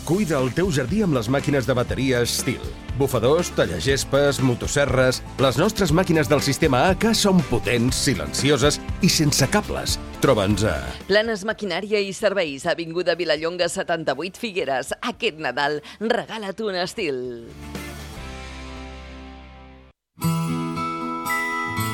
Cuida el teu jardí amb les màquines de bateria Stihl. Bufadors, tallagespes, motosserres... Les nostres màquines del sistema AK són potents, silencioses i sense cables. Troba'ns a... Planes Maquinària i Serveis, Avinguda Vilallonga 78, Figueres. Aquest Nadal, regala't un Stihl.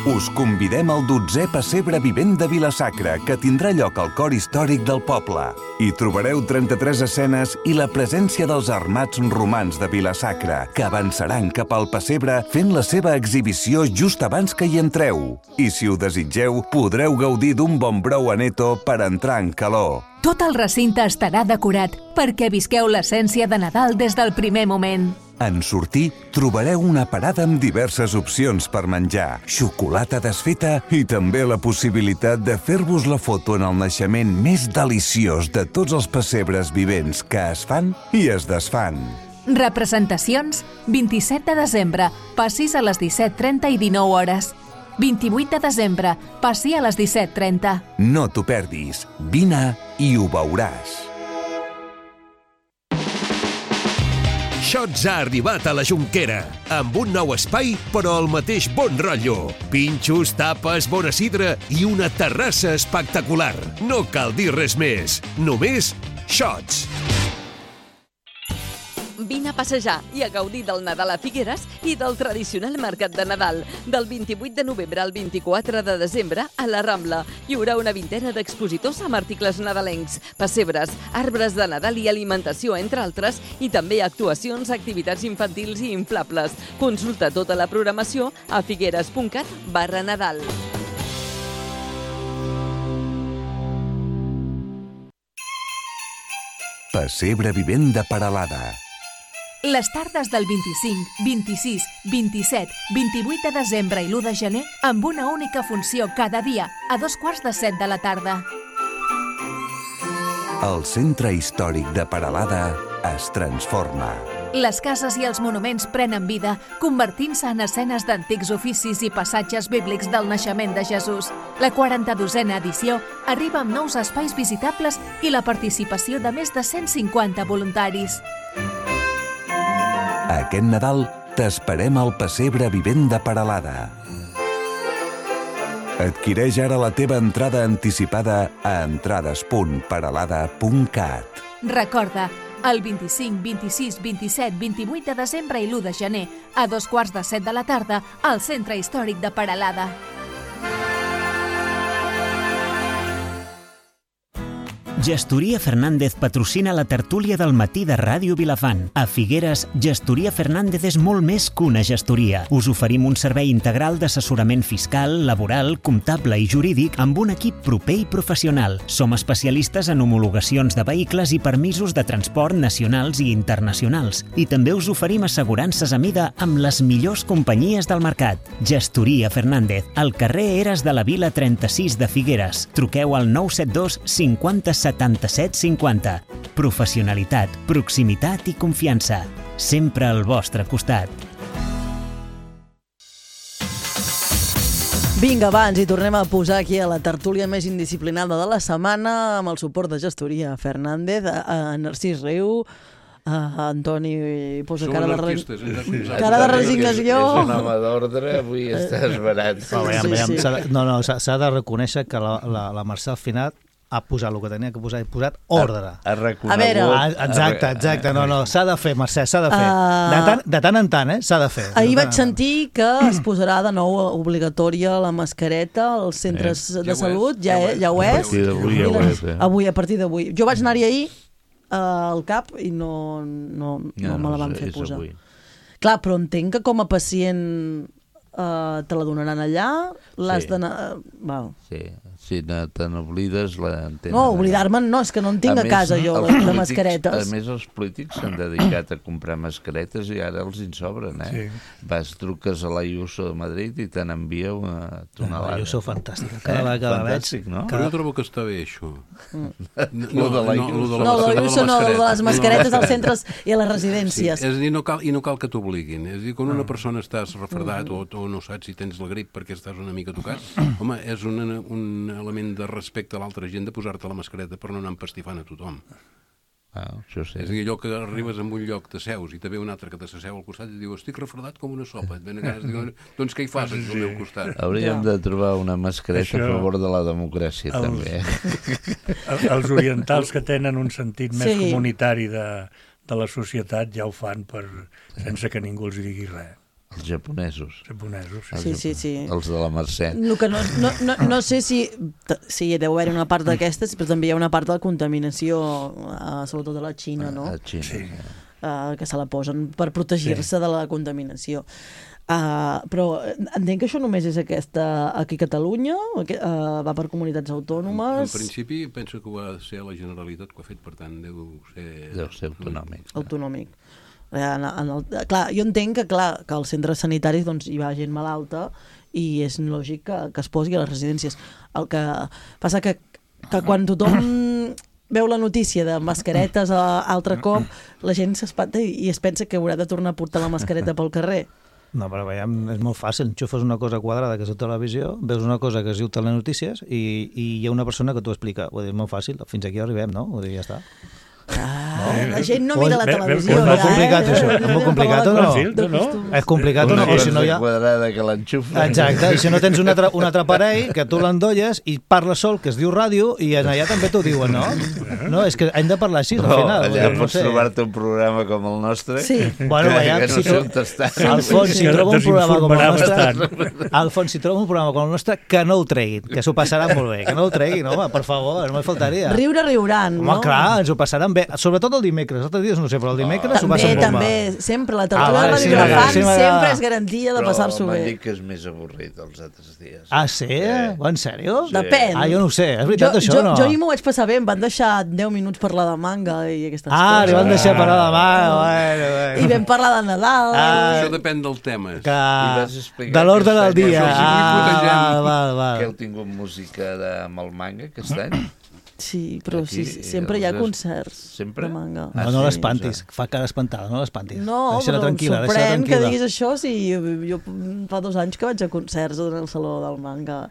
Us convidem al 12è Pessebre Vivent de Vila-sacra, que tindrà lloc al cor històric del poble. Hi trobareu 33 escenes i la presència dels armats romans de Vila-sacra, que avançaran cap al pessebre fent la seva exhibició just abans que hi entreu. I si ho desitgeu, podreu gaudir d'un bon brou aneto per entrar en calor. Tot el recinte estarà decorat perquè visqueu l'essència de Nadal des del primer moment. En sortir, trobareu una parada amb diverses opcions per menjar, xocolata desfeta i també la possibilitat de fer-vos la foto en el naixement més deliciós de tots els pessebres vivents que es fan i es desfan. Representacions, 27 de desembre, passis a les 17:30 i 19 hores. 28 de desembre, passi a les 17:30. No t'ho perdis, vine i ho veuràs. Shots ha arribat a la Jonquera, amb un nou espai, però el mateix bon rotllo. Pinxos, tapes, bona sidra i una terrassa espectacular. No cal dir res més, només Shots. Vine a passejar i a gaudir del Nadal a Figueres i del tradicional mercat de Nadal. Del 28 de novembre al 24 de desembre a la Rambla. Hi haurà una vintena d'expositors amb articles nadalencs, pessebres, arbres de Nadal i alimentació, entre altres, i també actuacions, activitats infantils i inflables. Consulta tota la programació a figueres.cat/Nadal. Pessebre vivent de Peralada. Les tardes del 25, 26, 27, 28 de desembre i l'1 de gener amb una única funció cada dia a 2:45 de la tarda. El centre històric de Peralada es transforma. Les cases i els monuments prenen vida, convertint-se en escenes d'antics oficis i passatges bíblics del naixement de Jesús. La 42a edició arriba amb nous espais visitables i la participació de més de 150 voluntaris. Aquest Nadal t'esperem al Pessebre vivent de Peralada. Adquireix ara la teva entrada anticipada a entrades.peralada.cat. Recorda, el 25, 26, 27, 28 de desembre i l'1 de gener, a 2:45 de la tarda, al Centre Històric de Peralada. Gestoria Fernández patrocina la tertúlia del matí de Ràdio Vilafant. A Figueres, Gestoria Fernández és molt més que una gestoria. Us oferim un servei integral d'assessorament fiscal, laboral, comptable i jurídic amb un equip proper i professional. Som especialistes en homologacions de vehicles i permisos de transport nacionals i internacionals. I també us oferim assegurances a mida amb les millors companyies del mercat. Gestoria Fernández, al carrer Eres de la Vila 36 de Figueres. Truqueu al 972 50 77 50. Professionalitat, proximitat i confiança. Sempre al vostre costat. Vinga, va, ens hi tornem a posar aquí a la tertúlia més indisciplinada de la setmana amb el suport de Gestoria Fernández, a Narcís Riu, a Antoni posa cara de resignació. És un home d'ordre, avui està esverat. No, s'ha de reconèixer que la Mercè al final ha posat el que tenia que posar, ha posat ordre. Ha reconegut. Exacte, no, s'ha de fer, Mercè, s'ha de fer. De tant en tant, s'ha de fer. Ahir vaig sentir que es posarà de nou obligatòria la mascareta als centres de salut, ja ho és. Avui, a partir d'avui. Jo vaig anar-hi ahir al CAP i no me la van fer posar. Clar, però entenc que com a pacient te la donaran allà, l'has d'anar... Sí, si te n'oblides la tenen. No, oblidar-me'n no, és que no en tinc a casa jo, de mascaretes. A més, els polítics s'han dedicat a comprar mascaretes i ara els en sobren, Vas, truques a l'Ayuso de Madrid i te n'envia una tonelada. L'Ayuso fantàstica, cada vegada veig. Però jo trobo que està bé, això. No, l'Ayuso no, de les mascaretes als centres i a les residències. És a dir, no cal que t'obliguin. És a dir, quan una persona estàs refredat o no saps si tens la grip perquè estàs una mica tocat, home, és un element de respecte a l'altra gent de posar-te la mascareta per no anar empastifant a tothom. Això sí. És a dir, allò que arribes a un lloc, t'asseus i te ve un altre que t'asseu al costat i diu, estic refredat com una sopa. Doncs què hi fas al meu costat? Hauríem de trobar una mascareta a favor de la democràcia, també. Els orientals que tenen un sentit més comunitari de la societat ja ho fan sense que ningú els digui res. Els japonesos. Sí. Els de la Mercè. No sé si deu haver una part d'aquestes, però també hi ha una part de la contaminació, sobretot a la Xina, no? A Xina, que se la posen per protegir-se de la contaminació. Però entenc que això només és aquesta aquí a Catalunya, va per comunitats autònomes. En principi penso que ho ha de ser la Generalitat que ho ha fet, per tant deu ser autonòmic. Clar, jo entenc que als centres sanitaris hi va gent malalta i és lògic que es posi a les residències. El que passa que quan tothom veu la notícia de mascaretes altre cop, la gent s'espanta i es pensa que haurà de tornar a portar la mascareta pel carrer. No, però veiem, és molt fàcil. Enxufes una cosa quadrada que és a televisió, veus una cosa que es diu telenotícies i hi ha una persona que t'ho explica. Vull dir, és molt fàcil, fins aquí arribem, no? Vull dir, ja està. La gent no mira la televisió. És molt complicat, això. És molt complicat o no? És complicat o no? O si no hi ha... quadrada que l'enxufa. Exacte, i si no tens un altre aparell que tu l'endolles i parles sol, que es diu ràdio, i allà també t'ho diuen, no? No, és que hem de parlar així, al final. Allà pots trobar-te un programa com el nostre. Sí. Bueno, Alfons, si trobo un programa com el nostre... Alfons, si trobo un programa com el nostre, que no ho treguin, que s'ho passaran molt bé. Que no ho treguin, home, per favor, no me faltaria. Riuran, no? Home, clar, ens ho passaran bé. sobretot el dimecres. Els altres dies no sé, però el dimecres s'ho passen bomba. També, sempre. La tertúlia de Ràdio Vilafant sempre és garantia de passar-s'ho bé. Però m'han dit que és més avorrit els altres dies. Ah, sí? En sèrio? Depèn. Jo no ho sé, és veritat això o no? Jo m'ho vaig passar bé, em van deixar 10 minuts parlar de manga i aquestes coses. Li van deixar parlar de manga, bueno. I vam parlar de Nadal. Això depèn del tema. De l'ordre del dia. Que heu tingut música amb el manga aquest any? Sí, però sempre hi ha concerts. Sempre? De manga. No l'espantis, fa cara espantada, no l'espantis. No, però em sorprèn que diguis això si jo fa 2 anys que vaig a concerts en el Saló del Manga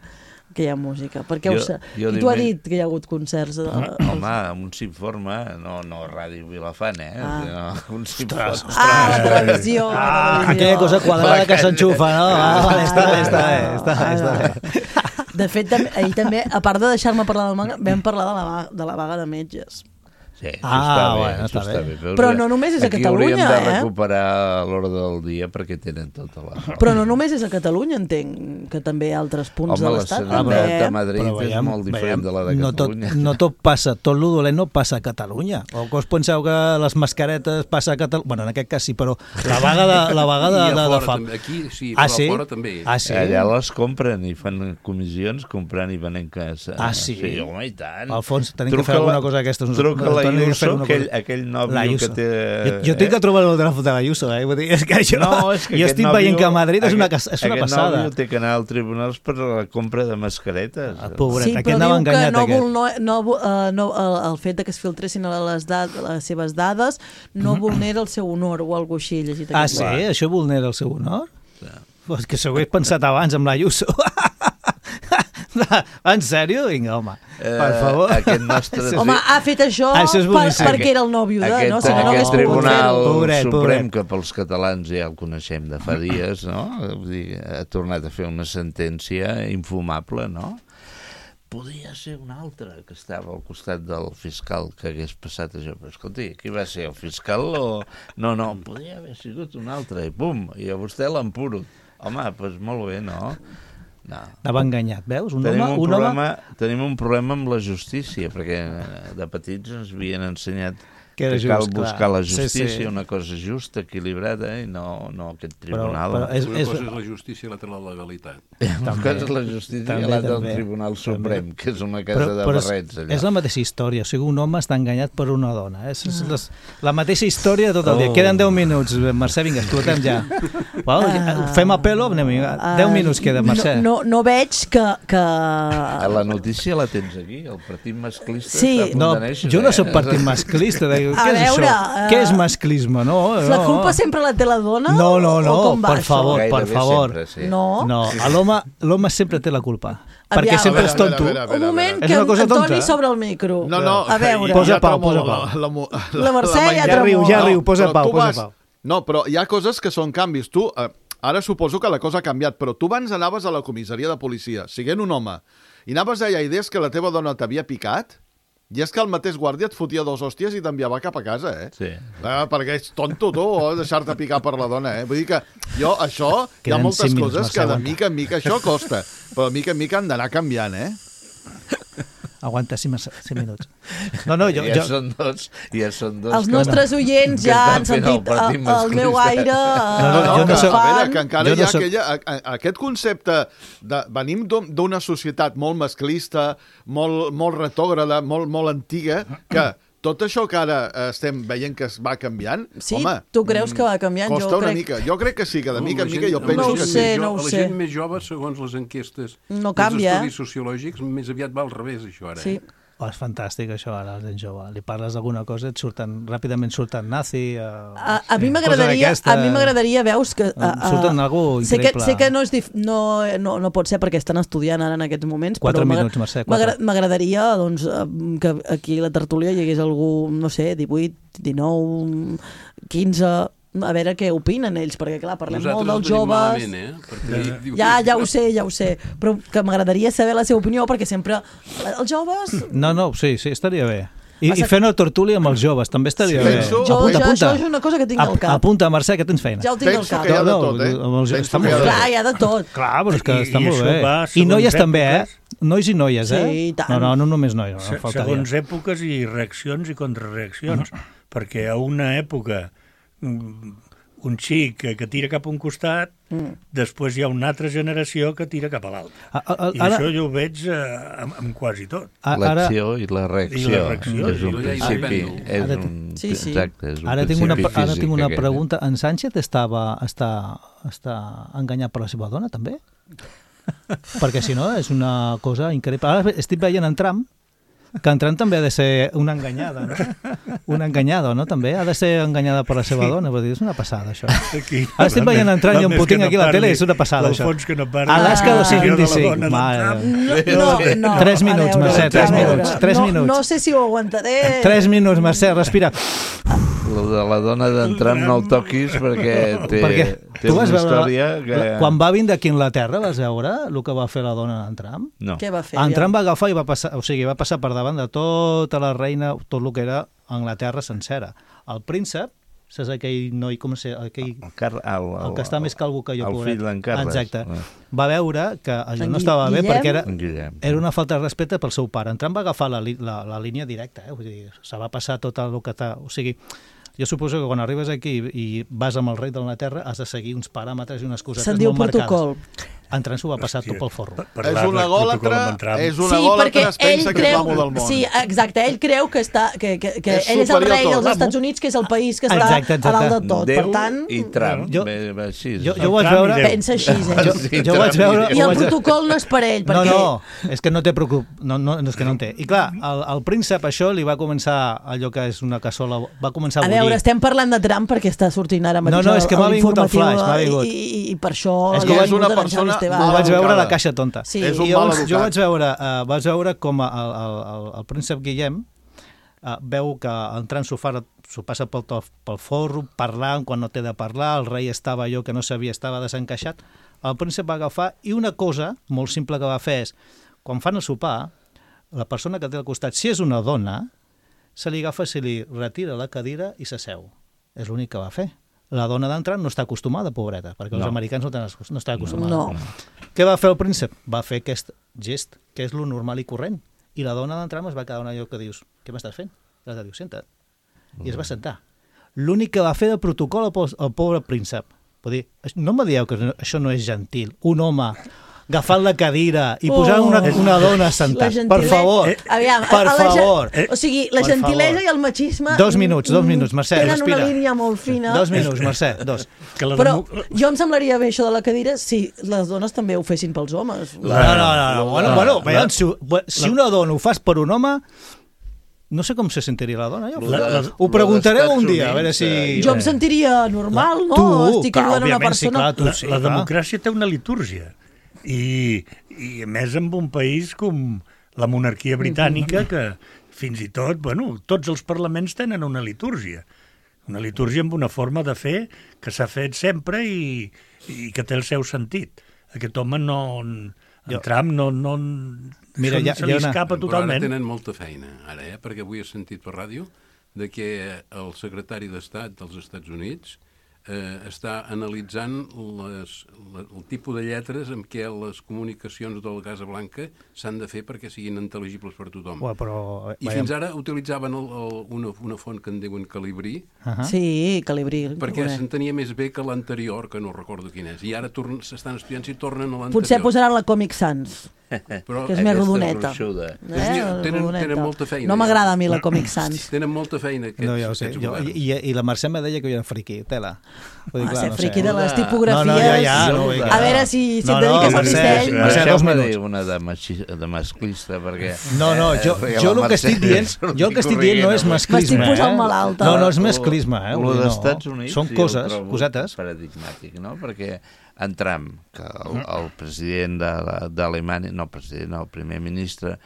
que hi ha música. Perquè qui t'ho ha dit que hi ha hagut concerts? Home, un s'informa, no Ràdio Vilafant, un s'informa. Televisió. Aquella cosa quadrada que s'enxufa, no? Està bé. De fet, ahir també, a part de deixar-me parlar del manga, vam parlar de la vaga de metges. Sí, està bé. Però no només és a Catalunya, Aquí hauríem de recuperar l'hora del dia perquè tenen tota la raó. Però no només és a Catalunya, entenc, que també hi ha altres punts de l'Estat. Home, l'escenari de Madrid és molt diferent de la de Catalunya. No tot passa, tot lo dolent no passa a Catalunya. O que us penseu que les mascaretes passa a Catalunya? Bueno, en aquest cas sí, però la vaga de fam. Aquí sí, però a fora també. Allà les compren i fan comissions comprant i venent casa. Sí? Sí, home, i tant. Alfons, tenim que fer alguna cosa d'aquestes. Truca la Ayuso, aquell nòvio que té... Jo tinc que trobar el telèfon de l'Ayuso, és que jo estic veient que a Madrid és una passada. Aquest nòvio té que anar als tribunals per la compra de mascaretes. Pobret, sí, però diu que el fet que es filtressin les seves dades no vulnera el seu honor o alguna cosa així llegit. Sí? Això vulnera el seu honor? És que s'ho he pensat abans amb l'Ayuso. En sèrio? Vinga, home, per favor. Home, ha fet això perquè era el nòvio de... Aquest Tribunal Suprem, que pels catalans ja el coneixem de fa dies, no? Ha tornat a fer una sentència infumable, no? Podia ser un altre que estava al costat del fiscal que hagués passat això. Però escolti, qui va ser, el fiscal o...? No, podia haver sigut un altre, i pum, i a vostè l'empuro. Home, doncs molt bé, no? L'ha enganyat, veus? Tenim un problema amb la justícia, perquè de petits ens havien ensenyat que cal buscar la justícia, una cosa justa, equilibrada, i no aquest tribunal. Una cosa és la justícia i l'altra la legalitat. Una cosa és la justícia i l'altra el Tribunal Suprem, que és una casa de barrets. És la mateixa història, o sigui, un home està enganyat per una dona. És la mateixa història tot el dia. Queden 10 minuts, Mercè, vinga, explotem ja. Fem apel·lo? 10 minuts queda, Mercè. No veig que... La notícia la tens aquí, el partit masclista està a punt de néixer. Jo no soc partit masclista, què és això? Què és masclisme? La culpa sempre la té la dona? No, per favor. No, l'home sempre té la culpa. Perquè sempre és tonto. Un moment que Antoni s'obre el micro. A veure. Posa pau. La Mercè ja tremol. Ja riu, posa pau. No, però hi ha coses que són canvis. Tu, ara suposo que la cosa ha canviat, però tu abans anaves a la comissaria de policia, siguent un home, i anaves allà i deies que la teva dona t'havia picat, i és que el mateix guàrdia et fotia 2 hòsties i t'enviava cap a casa, Sí. Perquè ets tonto, tu, o deixar-te picar per la dona, Vull dir que això, hi ha moltes coses que de mica en mica això costa, però de mica en mica han d'anar canviant, Aguanta 5 minuts. Ja són dos. Els nostres oients ja han sentit el meu aire. Que encara hi ha aquest concepte de... Venim d'una societat molt masclista, molt retògrada, molt antiga, que tot això que ara estem veient que es va canviant, home... Tu creus que va canviant? Costa una mica. Jo crec que sí, que de mica en mica jo penso que sí. No ho sé. La gent més jove, segons les enquestes, no canvia, els estudis sociològics, més aviat va al revés, això ara. Sí. És fantàstic això ara, la gent jove. Li parles d'alguna cosa, ràpidament surten nazi... A mi m'agradaria, veus, que... Surten algú increïble. Sé que no pot ser perquè estan estudiant ara en aquests moments, 4 minuts, Mercè, 4. M'agradaria que aquí a la tertúlia hi hagués algú, no sé, 18, 19, 15... A veure què opinen ells, perquè clar, parlem molt dels joves... Ja ho sé, però que m'agradaria saber la seva opinió, perquè sempre els joves... No, sí, estaria bé. I fer una tertúlia amb els joves, també estaria bé. Apunta. Això és una cosa que tinc al cap. Apunta, Mercè, que tens feina. Ja ho tinc al cap. Penso que hi ha de tot, Està molt bé. Clar, hi ha de tot. Clar, però és que està molt bé. I noies també, nois i noies, Sí, i tant. No només noies. Segons èpoques i reaccions i contrarreaccions, perquè a una època un xic que tira cap a un costat, després hi ha una altra generació que tira cap a l'altre. I això jo ho veig amb quasi tot. L'acció i la reacció. És un principi. Exacte, és un ara tinc una físic, pregunta. En Sánchez està enganyat per la seva dona, també? Perquè si no, és una cosa increïble. Ara estic veient en Trump, que en Trump també ha de ser una enganyada, no? Una enganyada, no? També ha de ser enganyada per la seva dona. Vull dir, és una passada, això. Ara estic veient en Trump i en Putin aquí a la tele, és una passada, això. Alaska 225. 3 minuts, Mercè, 3 minuts. No sé si ho aguantaré. 3 minuts, Mercè, respira. De la dona d'en Trump no el toquis perquè té una història que... Quan va vindre aquí a Anglaterra, vas veure el que va fer la dona d'en Trump? No. Què va fer? En Trump va agafar i va passar per davant de tota la reina, tot el que era Anglaterra sencera. El príncep, saps aquell noi, com sé, el que està més calvo que jo. El fill d'en Carles. Exacte. Va veure que allò no estava bé perquè era una falta de respecte pel seu pare. En Trump va agafar la línia directa, vull dir, se va passar tot el que està... O sigui, jo suposo que quan arribes aquí i vas amb el rei d'Anglaterra has de seguir uns paràmetres i unes cosetes molt marcades. Se'n diu protocol. En Trump s'ho va passar tot pel forro. És un egòlatre, es pensa que és l'amo del món. Sí, exacte, ell creu que ell és el rei dels Estats Units, que és el país que està a dalt de tot. Déu i Trump. Jo vaig veure... Pensa així, Jo vaig veure... I el protocol no és per ell, perquè... No, és que no té preocup... No, és que no en té. I clar, el príncep això li va començar allò que és una cassola... Va començar a bullir. A veure, estem parlant de Trump perquè està sortint ara mateix és que m'ha vingut el flash, m'ha vingut. I per això... És que és una persona... Ho vaig veure a la caixa tonta. Sí. És un mal educat. Jo vaig veure com el príncep Guillem veu que entrant s'ho passa pel forro, parlant quan no té de parlar, el rei estava allò que no sabia, estava desencaixat. El príncep va agafar i una cosa molt simple que va fer és, quan fan el sopar, la persona que té al costat, si és una dona, se li agafa, se li retira la cadira i s'asseu. És l'únic que va fer. La dona d'entrar no està acostumada, pobreta, perquè els americans no estan acostumats. No. Què va fer el príncep? Va fer aquest gest, que és lo normal i corrent. I la dona d'entrar es va quedar en allò que dius, què m'estàs fent? I l'altre diu, senta't. I es va sentar. L'únic que va fer de protocol el pobre príncep. Vull dir, no em dieu que això no és gentil. Un home agafant la cadira i posant una dona sentat. Per favor, per favor. O sigui, la gentilesa i el machisme... 2 minuts, Mercè, respira. Tenen una línia molt fina. 2 minuts, Mercè, 2. Però jo em semblaria bé això de la cadira si les dones també ho fessin pels homes. No. Bueno, si una dona ho fas per un home... No sé com se sentiria la dona. Ho preguntareu un dia, a veure si... Jo em sentiria normal, no? Estic ajudant una persona... La democràcia té una litúrgia. I a més amb un país com la monarquia britànica que fins i tot, tots els parlaments tenen una litúrgia amb una forma de fer que s'ha fet sempre i que té el seu sentit. Aquest home Trump se li escapa totalment. Ara tenen molta feina, perquè avui he sentit per ràdio de que el secretari d'Estat dels Estats Units està analitzant el tipus de lletres amb què les comunicacions de la Casa Blanca s'han de fer perquè siguin intel·ligibles per tothom. I fins ara utilitzaven una font que en diuen Calibri. Sí, Calibri. Perquè s'entenia més bé que l'anterior, que no recordo quin és. I ara s'estan estudiant si tornen a l'anterior. Potser posaran la Comic Sans. Però que és més rodoneta. Tenen molta feina. No m'agrada a mi la Comic Sans. Tenen molta feina aquests governs. I la Mercè me deia que jo era friqui, tela. Ser friqui de les tipografies. A veure si et dediques al disseny. Mercè, m'ha dit una de masclista, perquè... No, jo el que estic dient no és masclisme. M'estic posant malalta. No és masclisme. El dels Estats Units són cosetes. Paradigmàtic, no? Perquè en Trump, que el president d'Alemanya, el primer ministre,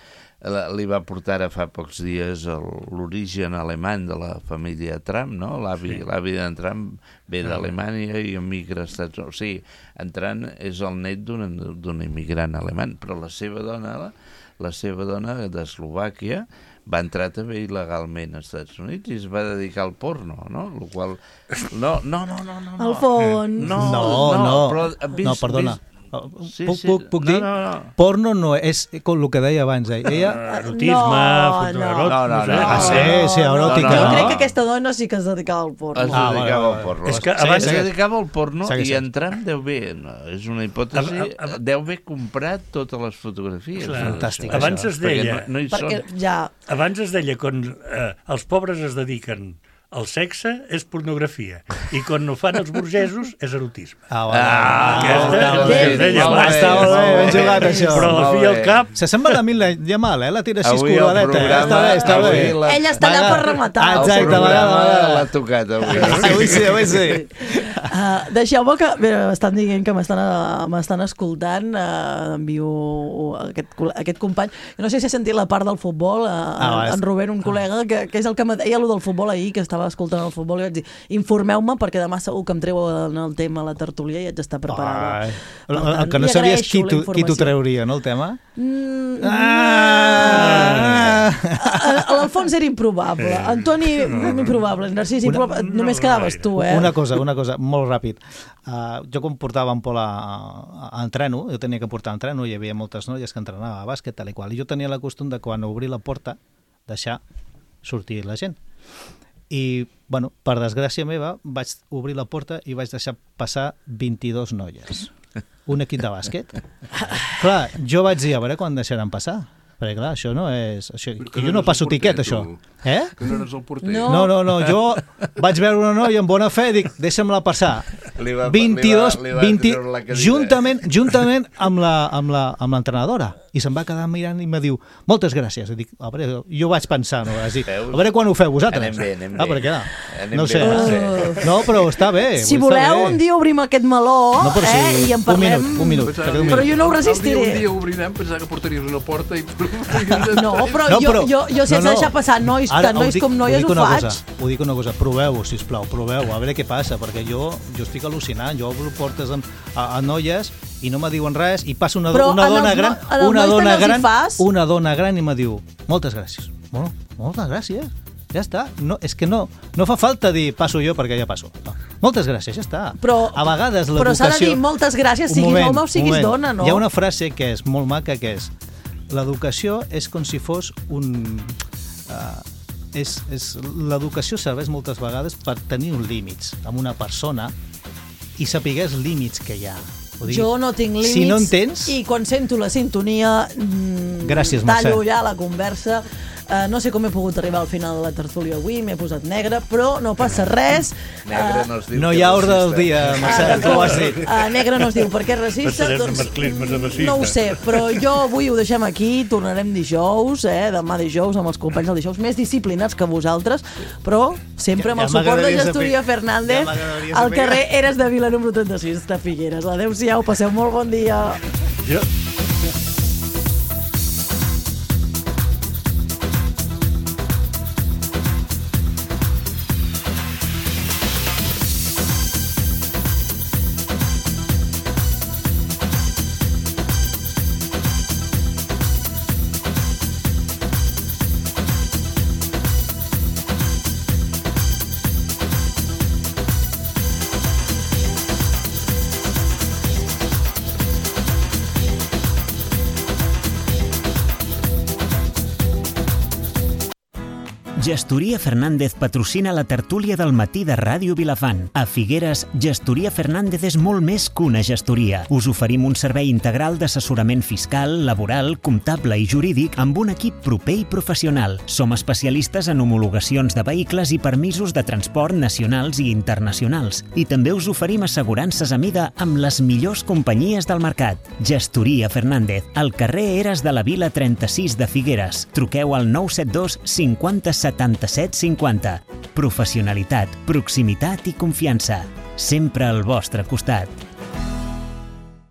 li va portar ara fa pocs dies l'origen alemany de la família Trump, no? L'avi d'en Trump ve d'Alemanya i emigra als Estats Units. O sigui, en Trump és el net d'un immigrant alemany, però la seva dona d'Eslovàquia va entrar també il·legalment als Estats Units i es va dedicar al porno, no? El qual... No. Al fons. No, perdona. Puc dir? Porno no és com el que deia abans. Erotisme, sí, eròtica. Jo crec que aquesta dona sí que es dedicava al porno. Es dedicava al porno. Es dedicava al porno i entrant deu bé, és una hipòtesi, deu bé comprat totes les fotografies. Fantàstic. Abans es deia quan els pobres es dediquen el sexe és pornografia i quan no fan els burgesos és erotisme. Està ben jugat, això. Però al fi al cap... S'assembla a mi Yamal, la tira així escurradeta. Està bé. Ella està allà per rematar. Exacte, a vegades l'ha tocat avui. Avui sí. Deixeu-me que... M'estan dient que m'estan escoltant. Envio aquest company. No sé si he sentit la part del futbol. En Rubén, un col·lega, que és el que me deia allò del futbol ahir, que estava escoltant el futbol, i vaig dir, informeu-me perquè demà segur que em treu en el tema a la tertúlia i haig d'estar preparada. El que no sabies qui t'ho trauria, no, el tema? L'Alfons era improbable. Antoni, improbable. Narcís, improbable. Només quedaves tu, Una cosa, molt ràpid. Jo quan portava en Pol a entreno, jo tenia que portar a entreno, hi havia moltes noies que entrenava a bàsquet, tal i qual, i jo tenia la costum de quan obrir la porta deixar sortir la gent. I, bueno, per desgràcia meva, vaig obrir la porta i vaig deixar passar 22 noies. Un equip de bàsquet. Clar, jo vaig dir, a veure quan deixaran passar. Perquè, clar, això no és... Que jo no passo tiquet, això. Que no eres el porter. No, jo vaig veure una noia amb bona fe i dic, deixa'm-la passar. 22, juntament amb l'entrenadora. I se'm va quedar mirant i em diu, moltes gràcies. I dic, a veure, jo vaig pensar, no? A veure quan ho feu vosaltres. Anem bé. Perquè, no sé. No, però està bé. Si voleu, un dia obrim aquest meló i en parlem. Un minut. Però jo no ho resistiré. Un dia obrirem, pensava que portaries una porta i... No, però jo sense deixar passar nois com noies ho faig. Ho dic una cosa, proveu-ho, sisplau, proveu-ho, a veure què passa, perquè jo estic al·lucinant, jo obro portes a noies i no me diuen res, i passa una dona gran i me diu, moltes gràcies. Bueno, moltes gràcies, ja està. És que no fa falta dir passo jo perquè ja passo. No. Moltes gràcies, ja està. A vegades l'educació... Però s'ha de dir moltes gràcies, siguis home o siguis dona, no? Hi ha una frase que és molt maca, que és l'educació és com si fos un... L'educació serveix moltes vegades per tenir uns límits amb una persona i saber els límits que hi ha. Jo no tinc límits, si no en tens, i quan sento la sintonia gràcies, tallo ja la conversa. No sé com he pogut arribar al final de la tertúlia avui, m'he posat negre, però no passa res. Negre no es diu. No hi ha ordre del dia, Marcel, tu ho has dit. Negre no es diu perquè és racista. No ho sé, però jo avui ho deixem aquí, tornarem dijous, demà dijous amb els companys del dijous, més disciplinats que vosaltres, però sempre amb el suport de Gestoria Fernández al carrer Eres de Vila número 36 de Figueres. Adéu-siau, passeu molt bon dia. Gestoria Fernández patrocina la tertúlia del matí de Ràdio Vilafant. A Figueres, Gestoria Fernández és molt més que una gestoria. Us oferim un servei integral d'assessorament fiscal, laboral, comptable i jurídic amb un equip proper i professional. Som especialistes en homologacions de vehicles i permisos de transport nacionals i internacionals. I també us oferim assegurances a mida amb les millors companyies del mercat. Gestoria Fernández, al carrer Eres de la Vila 36 de Figueres. Truqueu al 972 50 77 50. Professionalitat, proximitat i confiança. Sempre al vostre costat.